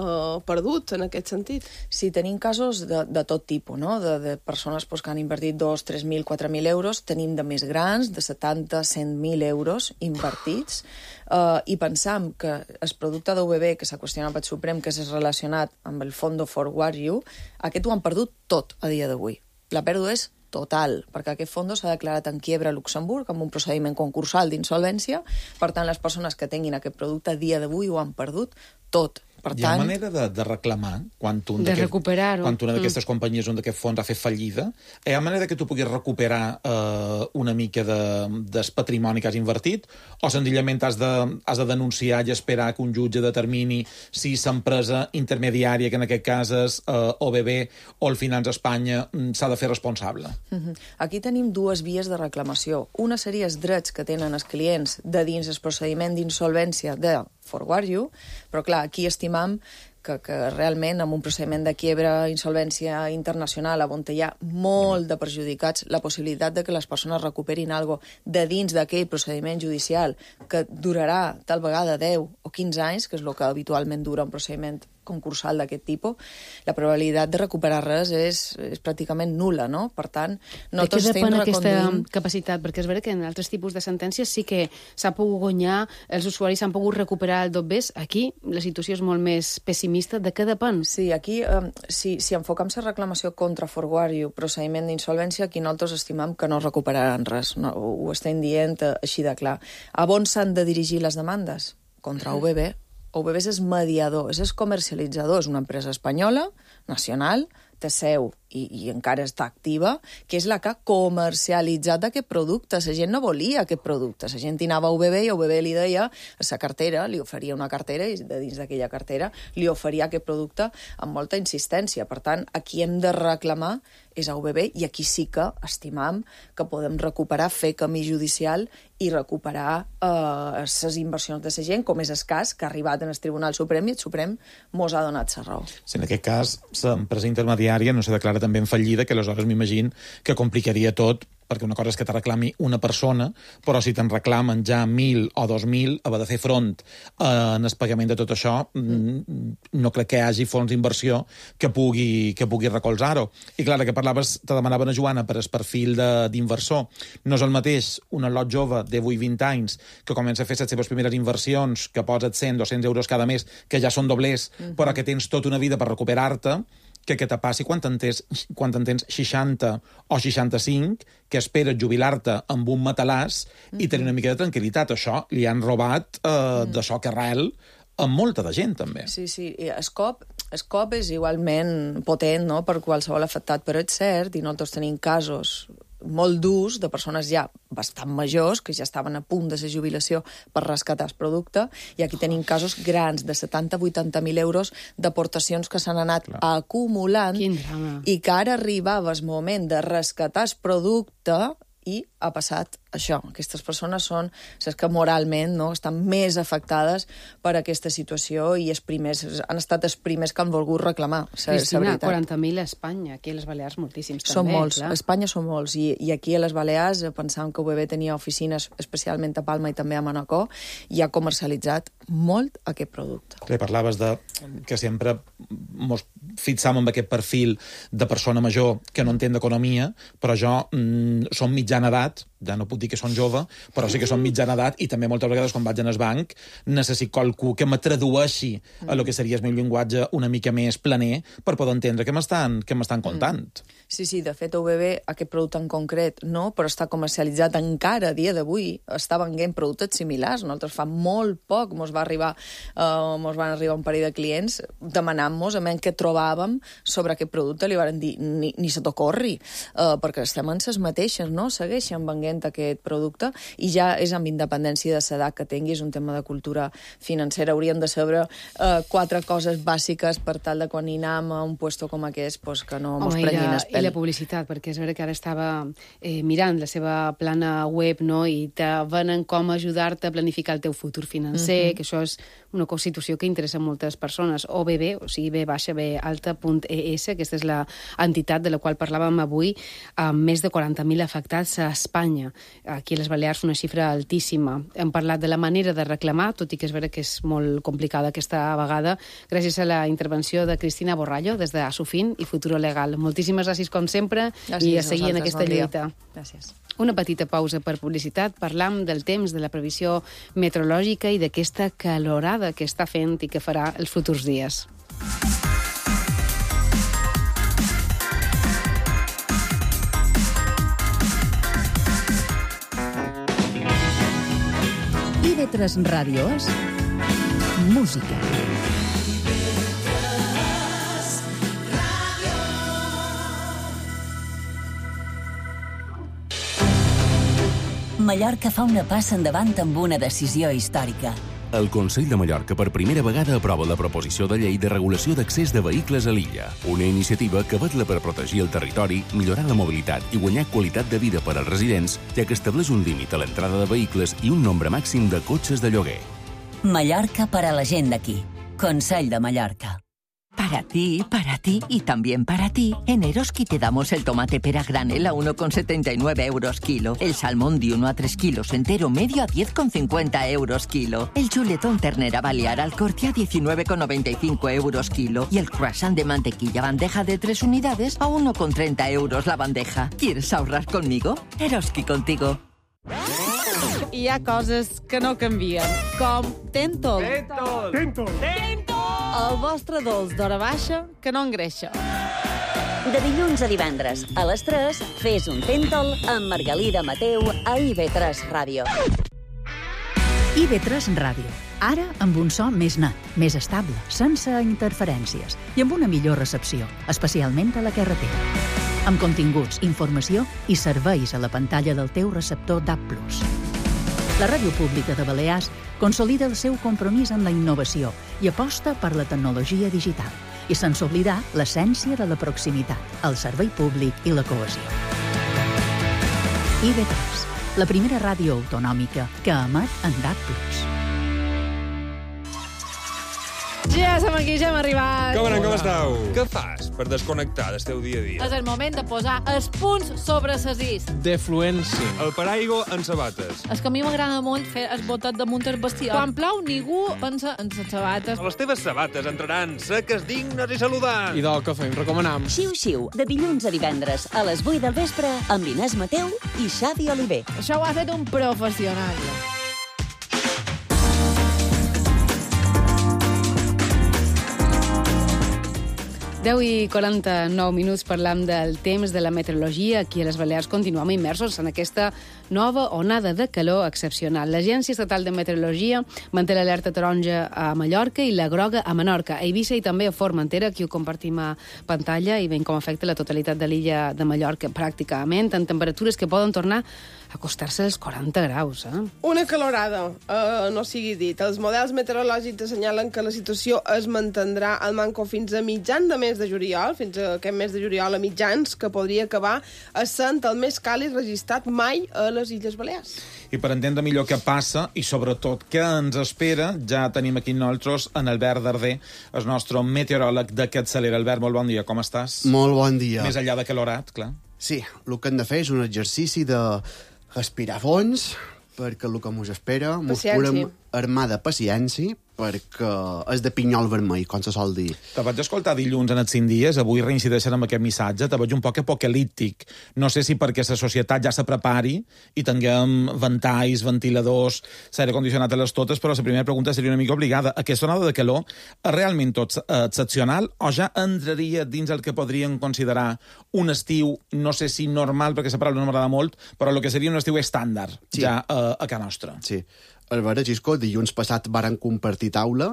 eh, perdut en aquest sentit? Sí, tenim casos de, de tot tipus, no? De, de persones pues, que han invertit dos, tres mil, quatre mil euros, tenim de més grans, de setanta, cent mil euros invertits, eh, i pensam que el producte d'U B B, que s'ha qüestionat pel Suprem, que és relacionat amb el Fondo Forward You, aquest ho han perdut tot a dia d'avui. La pèrdua és total, perquè aquest fons s'ha declarat en quiebra a Luxemburg amb un procediment concursal d'insolvència. Per tant, les persones que tinguin aquest producte a dia d'avui ho han perdut tot. Per Hi ha tant, manera de, de reclamar quan, un de recuperar-ho. Quan una d'aquestes mm. companyies, un d'aquests fons ha fet fallida? Hi ha manera que tu puguis recuperar eh, una mica de, del patrimoni que has invertit? O senzillament has de, has de denunciar i esperar que un jutge determini si l'empresa intermediària, que en aquest cas és eh, O B B o el Finanç Espanya, s'ha de fer responsable? uh-huh. Aquí tenim dues vies de reclamació. Una seria els drets que tenen els clients de dins el procediment d'insolvència de Forward You, però clar, aquí estimam que, que realment amb un procediment de quiebra, insolvència internacional, on hi ha molt de perjudicats, la possibilitat de que les persones recuperin algo de dins d'aquell procediment judicial que durarà tal vegada deu o quinze anys, que és el que habitualment dura un procediment concursal d'aquest tipus, la probabilitat de recuperar res és, és pràcticament nul·la, no? Per tant, no tots estem depèn aquesta reconduint... capacitat? Perquè és veritat que en altres tipus de sentències sí que s'ha pogut guanyar, els usuaris s'han pogut recuperar el dobbers. Aquí la situació és molt més pessimista. De què depèn? Sí, aquí, eh, si, si enfocam la reclamació contra Forward, procediment d'insolvència, aquí nosaltres estimam que no recuperaran res. No, ho estem dient així de clar. A on s'han de dirigir les demandes? Contra U B B. U B B és mediador, és comercialitzador, és una empresa espanyola, nacional, té seu i, i encara està activa, que és la que ha comercialitzat aquest producte. La gent no volia aquest producte. La gent hi anava a U B B i U B B li deia a la cartera, li oferia una cartera i de dins d'aquella cartera li oferia aquest producte amb molta insistència. Per tant, aquí hem de reclamar és a U B B i aquí sí que estimam que podem recuperar, fer camí judicial i recuperar les eh, inversions de la gent, com és el cas que ha arribat en el Tribunal Suprem i el Suprem mos ha donat la raó. Si en aquest cas l'empresa intermediària no se declara també en fallida, que aleshores m'imagino que complicaria tot, perquè una cosa és que te reclami una persona, però si te'n reclamen ja mil o dos mil, haver de fer front eh, en el pagament de tot això, mm. no crec que hi hagi fons d'inversió que pugui, que pugui recolzar-ho. I clar, que parlaves, te demanaven a Joana per el perfil d'inversor. No és el mateix un al·lot jove de divuit vint anys que comença a fer les seves primeres inversions, que posa cent o doscents euros cada mes, que ja són doblers, mm-hmm. però que tens tota una vida per recuperar-te, que què te passi quan en tens, quan en tens seixanta o seixanta-cinc, que esperes jubilar-te amb un matalàs mm-hmm. i tenir una mica de tranquil·litat. Això li han robat eh, mm. d'això que arrel amb molta de gent, també. Sí, sí. El cop, el cop és igualment potent, no?, per qualsevol afectat, però és cert, i nosaltres tenim casos molt durs de persones ja bastant majors, que ja estaven a punt de la jubilació per rescatar el producte, i aquí tenim casos grans de setanta a vuitanta mil euros d'aportacions que s'han anat Clar. acumulant i que ara arribava el moment de rescatar el producte i ha passat això. Aquestes persones són les que moralment no, estan més afectades per aquesta situació i els primers, han estat els primers que han volgut reclamar. Cristina, quaranta mil a Espanya, aquí a les Balears moltíssims són també. Molts, clar. A Espanya són molts, i, i aquí a les Balears pensàvem que U B B tenia oficines especialment a Palma i també a Manacor, i ha comercialitzat molt aquest producte. Clar, parlaves de que sempre mos fixam amb aquest perfil de persona major que no entén d'economia, però jo mm, som mitjana edat, ja no puc dir que són jove, però sí que són mitjana edat, i també moltes vegades quan vaig al banc necessito qualcú que me tradueixi a lo que seria el meu llenguatge una mica més planer per poder entendre què m'estan què m'estan contant. Sí, sí, de fet a U B B aquest producte en concret no, però està comercialitzat encara a dia d'avui, està venent productes similars. Nosaltres fa molt poc mos va arribar uh, mos van arribar un parell de clients demanant-nos a què trobàvem sobre aquest producte, li van dir ni, ni se t'ocorri, uh, perquè estem en ses mateixes, no? Segueixen venent aquest producte i ja és amb independència de l'edat que tingui, és un tema de cultura financera. Hauríem de saber uh, quatre coses bàsiques per tal de quan hi anem a un puesto com aquest, pues, que no mos prenguin el pèl. I la publicitat, perquè és vera que ara estava eh, mirant la seva plana web, no?, i te venen com ajudar-te a planificar el teu futur financer, mm-hmm. que això és una constitució que interessa a moltes persones. O B B, o sigui, B baixa B alta punt E S, aquesta és l'entitat de la qual parlàvem avui, amb més de quaranta mil afectats a Espanya. Aquí a les Balears una xifra altíssima. Hem parlat de la manera de reclamar, tot i que és vera que és molt complicada aquesta vegada, gràcies a la intervenció de Cristina Borrallo, des de Asufin i Futuro Legal. Moltíssimes gràcies, com sempre, gràcies i a seguir en aquesta lluita. Gràcies. Una petita pausa per publicitat. Parlam del temps, de la previsió meteorològica i d'aquesta calorada que està fent i que farà els futurs dies. I ve tres ràdios, música. Mallorca fa una passa endavant amb una decisió històrica. El Consell de Mallorca per primera vegada aprova la proposició de llei de regulació d'accés de vehicles a l'illa, una iniciativa que vetla per protegir el territori, millorar la mobilitat i guanyar qualitat de vida per als residents, ja que estableix un límit a l'entrada de vehicles i un nombre màxim de cotxes de lloguer. Mallorca per a la gent d'aquí. Consell de Mallorca. Para ti, para ti y también para ti, en Eroski te damos el tomate pera granel a uno con setenta y nueve euros kilo, el salmón de uno a tres kilos entero medio a diez con cincuenta euros kilo, el chuletón ternera balear al corte a diecinueve con noventa y cinco euros kilo y el croissant de mantequilla bandeja de tres unidades a uno con treinta euros la bandeja. ¿Quieres ahorrar conmigo? Eroski contigo. Hi ha coses que no canvien, com Tentol. Tentol. Tentol. Tentol. El vostre dolç d'hora baixa que no engreixa. De dilluns a divendres, a les tres, fes un Tentol amb Margalida Mateu a I V tres Ràdio. I V tres Ràdio. Ara amb un so més net, més estable, sense interferències i amb una millor recepció, especialment a la carretera. Amb continguts, informació i serveis a la pantalla del teu receptor D A B plus. La Ràdio Pública de Balears consolida el seu compromís amb la innovació i aposta per la tecnologia digital i sense oblidar l'essència de la proximitat, el servei públic i la cohesió. I V tres, la primera ràdio autonòmica que emet en D A B plus. Ja som aquí, ja hem arribat. Com anem, com esteu? Què fas per desconnectar del teu dia a dia? És el moment de posar els punts sobre ses is. Defluència. El paraigua en sabates. És que a mi m'agrada molt fer el botet damunt el bestiar. Quan plou, ningú pensa en les sabates. Les teves sabates entraran seques, dignes i saludants. I del que fem, recomanam. Xiu-xiu, de dilluns a divendres, a les vuit del vespre, amb Inés Mateu i Xavi Oliver. Això ho ha fet un professional. deu i quaranta-nou minuts parlam del temps de la meteorologia. Aquí a les Balears continuem immersos en aquesta nova onada de calor excepcional. L'Agència Estatal de Meteorologia manté l'alerta taronja a Mallorca i la groga a Menorca, a Eivissa i també a Formentera. Aquí ho compartim a pantalla i veiem com afecta la totalitat de l'illa de Mallorca pràcticament, en temperatures que poden tornar a acostar-se als quaranta graus. Eh? Una calorada, uh, no sigui dit. Els models meteorològics assenyalen que la situació es mantindrà al manco fins a mitjan de mes de juliol, fins a aquest mes de juliol a mitjans, que podria acabar essent el més càlid registrat mai a les Illes Balears. I per entendre millor què passa i sobretot què ens espera, ja tenim aquí nosaltres en Albert Darder, el nostre meteoròleg d'aquest Celera. Albert, molt bon dia, com estàs? Molt bon dia. Més enllà de calorat, clar. Sí, el que hem de fer és un exercici de respirar fons, perquè el que ens espera ens podem armar de paciència, perquè és de pinyol vermell, com se sol dir. Te vaig escoltar dilluns en els cinc dies, avui reincideixen amb aquest missatge, te veig un poc apocalíptic. No sé si perquè la societat ja se prepari i tinguem ventalls, ventiladors, s'aire condicionat a les totes, però la primera pregunta seria una mica obligada. Aquesta onada de calor és realment tot excepcional o ja entraria dins el que podríem considerar un estiu, no sé si normal, perquè la paraula no m'agrada molt, però el que seria un estiu estàndard, sí. ja a, a casa nostra. Sí. A veure, Gisco, dilluns passat varen compartir taula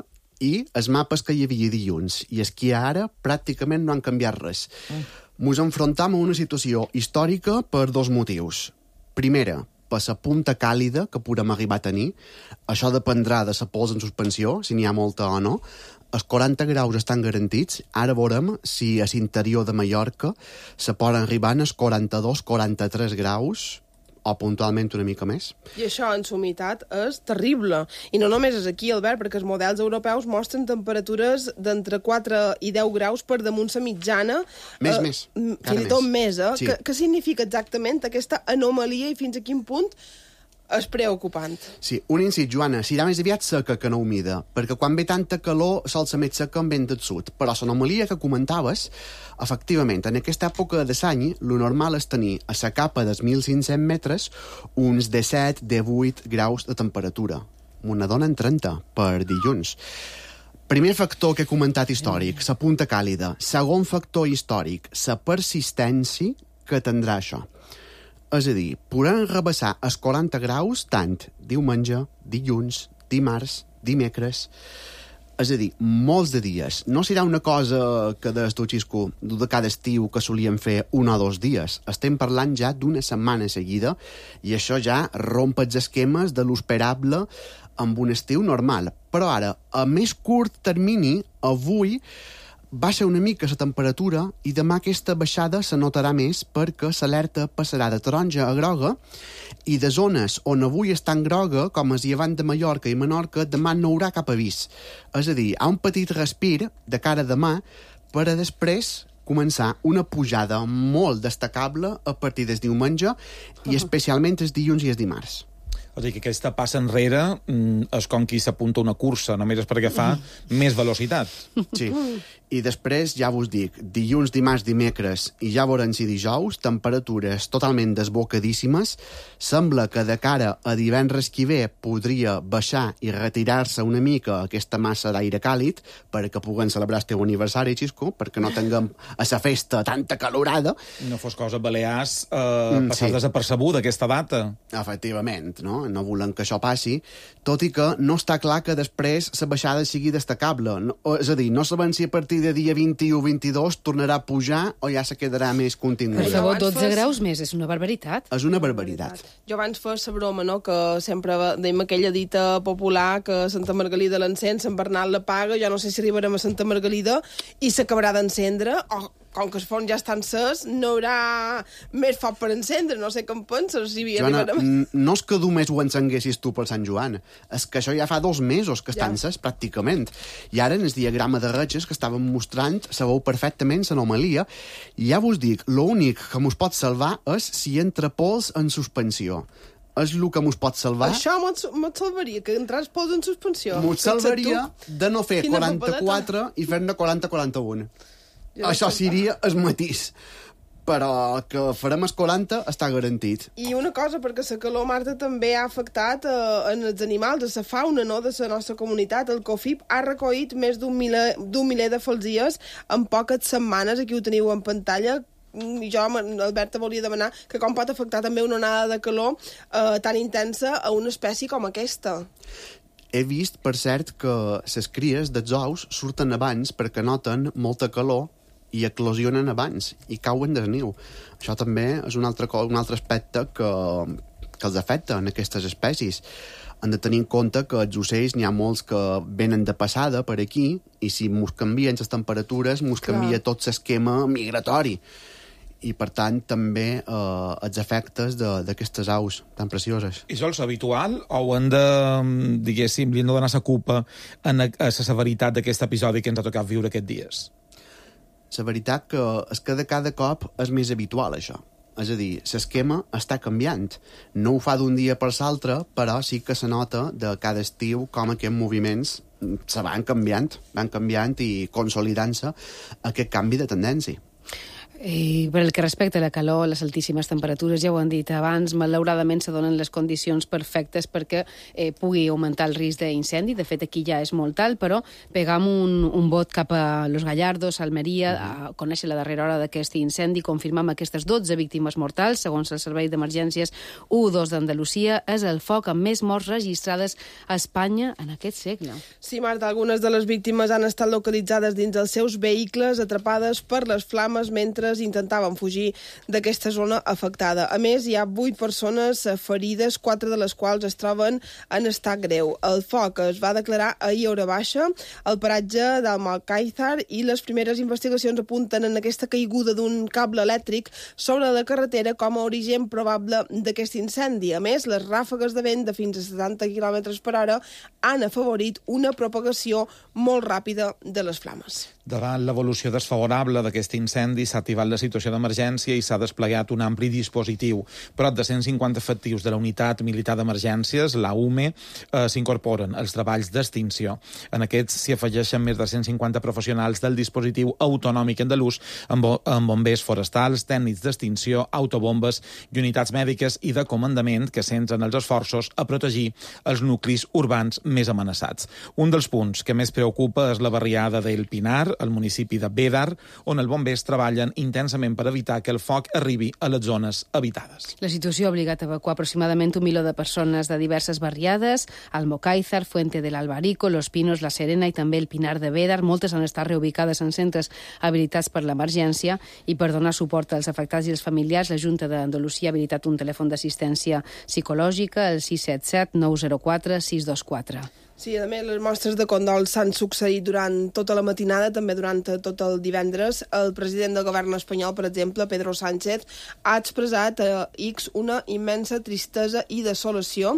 i els mapes que hi havia dilluns. I és que ara pràcticament no han canviat res. Mm. Mos enfrontam a una situació històrica per dos motius. Primera, per la punta càlida que podem arribar a tenir. Això dependrà de la pols en suspensió, si n'hi ha molta o no. Els quaranta graus estan garantits. Ara veurem si a l'interior de Mallorca se poden arribar als quaranta-dos quaranta-tres graus o puntualment una mica més. I això en sumitat és terrible. I no només és aquí, Albert, perquè els models europeus mostren temperatures d'entre quatre i deu graus per damunt la mitjana. Més, eh, més. Fins i tot més, eh? Sí. Què, què significa exactament aquesta anomalia i fins a quin punt és preocupant? Sí, un incit, Joana, serà més aviat seca que no humida, perquè quan ve tanta calor sol ser més seca amb vent del sud. Però l'anomalia que comentaves, efectivament, en aquesta època de l'any, lo normal és tenir a la capa dels mil cinc-cents metres uns disset divuit graus de temperatura. Una dona en trenta per dilluns. Primer factor que he comentat històric, la punta càlida. Segon factor històric, la persistència que tindrà això. És a dir, podran rebassar els quaranta graus tant diumenge, dilluns, dimarts, dimecres. És a dir, molts de dies. No serà una cosa que des tu, Xisco, de cada estiu que solíem fer un o dos dies. Estem parlant ja d'una setmana seguida i això ja romp els esquemes de l'esperable amb un estiu normal. Però ara, a més curt termini, avui baixa una mica la temperatura i demà aquesta baixada se notarà més perquè l'alerta passarà de taronja a groga i de zones on avui està en groga, com és llevant de Mallorca i Menorca, demà no hi haurà cap avís. És a dir, hi ha un petit respir de cara a demà per a després començar una pujada molt destacable a partir del diumenge i especialment els dilluns i els dimarts. O sigui que aquesta passa enrere és com qui s'apunta una cursa, només és perquè fa més velocitat. Sí, i després, ja vos dic, dilluns, dimarts, dimecres i ja veurem si dijous, temperatures totalment desbocadíssimes. Sembla que de cara a divendres que ve podria baixar i retirar-se una mica aquesta massa d'aire càlid perquè puguem celebrar el teu aniversari, Xisco, perquè no tinguem a la festa tanta calorada. No fos cosa, Balears, eh, passar sí. desapercebuda aquesta data. Efectivament, no? No volem que això passi, tot i que no està clar que després la baixada sigui destacable. No, és a dir, no sabem si a partir de dia vint-i-u o vint-i-dos tornarà a pujar o ja se quedarà més continuada. Per favor, dotze graus més, és una barbaritat. És una barbaritat. Jo abans feia la broma, no?, que sempre dèiem aquella dita popular que Santa Margalida l'encén, Sant Bernat la paga, jo no sé si arribarem a Santa Margalida i s'acabarà d'encendre, o com que els forns ja estan ses, no hi haurà més foc per encendre, no sé com penses. Si Joana, arribarem... no és que només ho encenguessis tu per Sant Joan, és que això ja fa dos mesos que estan ja. ses, pràcticament. I ara, en el diagrama de ratxes que estàvem mostrant, se veu perfectament l'anomalia, i ja vos dic, l'únic que mos pot salvar és si entra pols en suspensió. És el que mos pot salvar. Això mos salvaria, que entràs pols en suspensió. Mos salvaria de no fer quaranta-quatre i fer-ne quaranta quaranta-un. Jo Això seria el matís. Però que farem el quaranta està garantit. I una cosa, perquè la calor, Marta, també ha afectat eh, en els animals, a la fauna, no?, de la nostra comunitat. El COFIP ha recollit més d'un miler, d'un miler de falsies en poques setmanes. Aquí ho teniu en pantalla. I jo, Albert, volia demanar que com pot afectar també una onada de calor eh, tan intensa a una espècie com aquesta. He vist, per cert, que les cries dels ous surten abans perquè noten molta calor i eclosionen abans i cauen del niu. Això també és un altre, un altre aspecte que, que els afecta en aquestes espècies. Han de tenir en compte que els ocells n'hi ha molts que venen de passada per aquí i si mos canvien les temperatures, mos Clar. canvia tot l'esquema migratori. I, per tant, també eh, els efectes d'aquestes aus tan precioses. I això és habitual o hem de, diguéssim, li hem de donar la culpa a la severitat d'aquest episodi que ens ha tocat viure aquests dies? La veritat que és que de cada cop és més habitual, això. És a dir, l'esquema està canviant. No ho fa d'un dia per l'altre, però sí que se nota de cada estiu com aquests moviments se van canviant, van canviant i consolidant-se aquest canvi de tendència. I per el que respecta a la calor, les altíssimes temperatures, ja ho han dit abans, malauradament se donen les condicions perfectes perquè eh, pugui augmentar el risc d'incendi. De fet, aquí ja és molt alt, però pegam un, un vot cap a Los Gallardos, Almeria, a conèixer la darrera hora d'aquest incendi, confirmam aquestes dotze víctimes mortals, segons el Servei d'Emergències u dos d'Andalusia. És el foc amb més morts registrades a Espanya en aquest segle. Sí, Marta, algunes de les víctimes han estat localitzades dins dels seus vehicles, atrapades per les flames mentre intentaven fugir d'aquesta zona afectada. A més, hi ha vuit persones ferides, quatre de les quals es troben en estat greu. El foc es va declarar ahir a hora baixa al paratge d'Almocáizar i les primeres investigacions apunten en aquesta caiguda d'un cable elèctric sobre la carretera com a origen probable d'aquest incendi. A més, les ràfegues de vent de fins a setanta quilòmetres per hora han afavorit una propagació molt ràpida de les flames. Davant l'evolució desfavorable d'aquest incendi s'ha activat la situació d'emergència i s'ha desplegat un ampli dispositiu. Prop de cent cinquanta efectius de la Unitat Militar d'Emergències, la U M E, eh, s'incorporen als treballs d'extinció. En aquests s'hi afegeixen més de cent cinquanta professionals del dispositiu autonòmic andalús amb, bo amb bombers forestals, tècnics d'extinció, autobombes i unitats mèdiques i de comandament que centren els esforços a protegir els nuclis urbans més amenaçats. Un dels punts que més preocupa és la barriada del Pinar, al municipi de Bédar, on els bombers treballen intensament per evitar que el foc arribi a les zones habitades. La situació ha obligat a evacuar aproximadament un milió de persones de diverses barriades, Almocáizar, Fuente del Albarico, Los Pinos, La Serena i també el Pinar de Bédar. Moltes han estat reubicades en centres habilitats per l'emergència i per donar suport als afectats i als familiars, la Junta d'Andalusia ha habilitat un telèfon d'assistència psicològica, el sis set set nou zero quatre sis dos quatre. Sí, a més, les mostres de condol s'han succeït durant tota la matinada, també durant tot el divendres. El president del govern espanyol, per exemple, Pedro Sánchez, ha expressat a X una immensa tristesa i desolació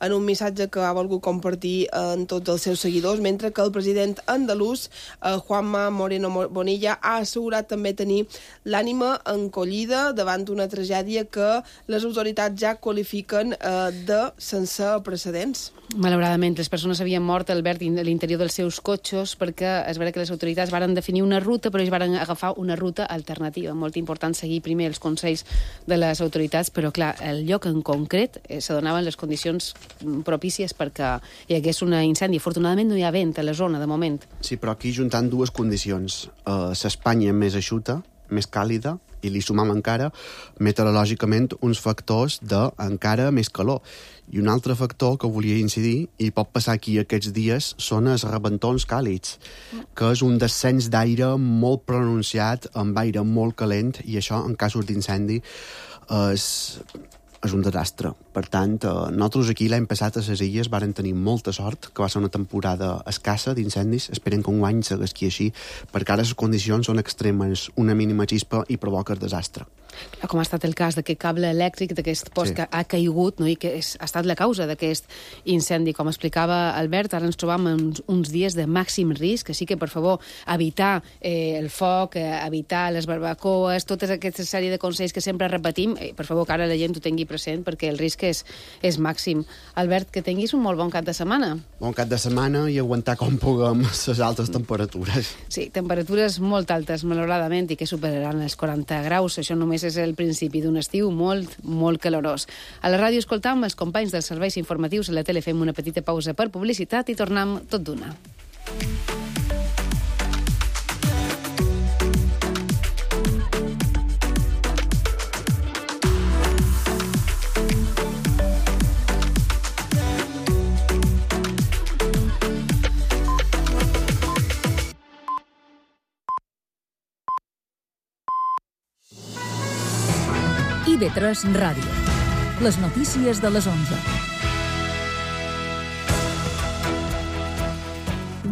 en un missatge que ha volgut compartir en tots els seus seguidors, mentre que el president andalús, Juanma Moreno Bonilla, ha assegurat també tenir l'ànima encollida davant una tragèdia que les autoritats ja qualifiquen de sense precedents. Malauradament, les persones havien mort, Albert, a l'interior dels seus cotxes perquè es veure que les autoritats varen definir una ruta, però ells varen agafar una ruta alternativa. Molt important seguir primer els consells de les autoritats, però clar, el lloc en concret eh, se donaven les condicions propícies perquè hi hagués un incendi. Afortunadament no hi ha vent a la zona, de moment. Sí, però aquí juntant dues condicions. Uh, L'Espanya més eixuta, més càlida, i li sumam encara, meteorològicament, uns factors d'encara més calor. I un altre factor que volia incidir, i pot passar aquí aquests dies, són els rebentons càlids, que és un descens d'aire molt pronunciat, amb aire molt calent, i això, en casos d'incendi, és, és un desastre. Per tant, nosaltres aquí l'any passat a les Illes varen tenir molta sort, que va ser una temporada escassa d'incendis. Esperem que un any segueixi així, perquè ara les condicions són extremes, una mínima xispa i provoca el desastre. Com ha estat el cas d'aquest cable elèctric, d'aquest post sí. que ha caigut, no? I que és, ha estat la causa d'aquest incendi. Com explicava Albert, ara ens trobam en uns, uns dies de màxim risc, així que, per favor, evitar eh, el foc, eh, evitar les barbacoes, tota aquesta sèrie de consells que sempre repetim, eh, per favor, que ara la gent ho tingui present, perquè el risc és, és màxim. Albert, que tinguis un molt bon cap de setmana. Bon cap de setmana i aguantar com puguem les altes temperatures. Sí, temperatures molt altes, malauradament, i que superaran els quaranta graus. Això només és el principi d'un estiu molt, molt calorós. A la ràdio escoltam els companys dels serveis informatius, a la tele fem una petita pausa per publicitat i tornem tot d'una. I V tres Ràdio. Les notícies de les onze.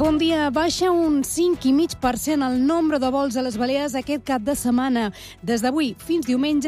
Bon dia. Baixa un cinc coma cinc per cent el nombre de vols a les Balears aquest cap de setmana. Des d'avui fins diumenge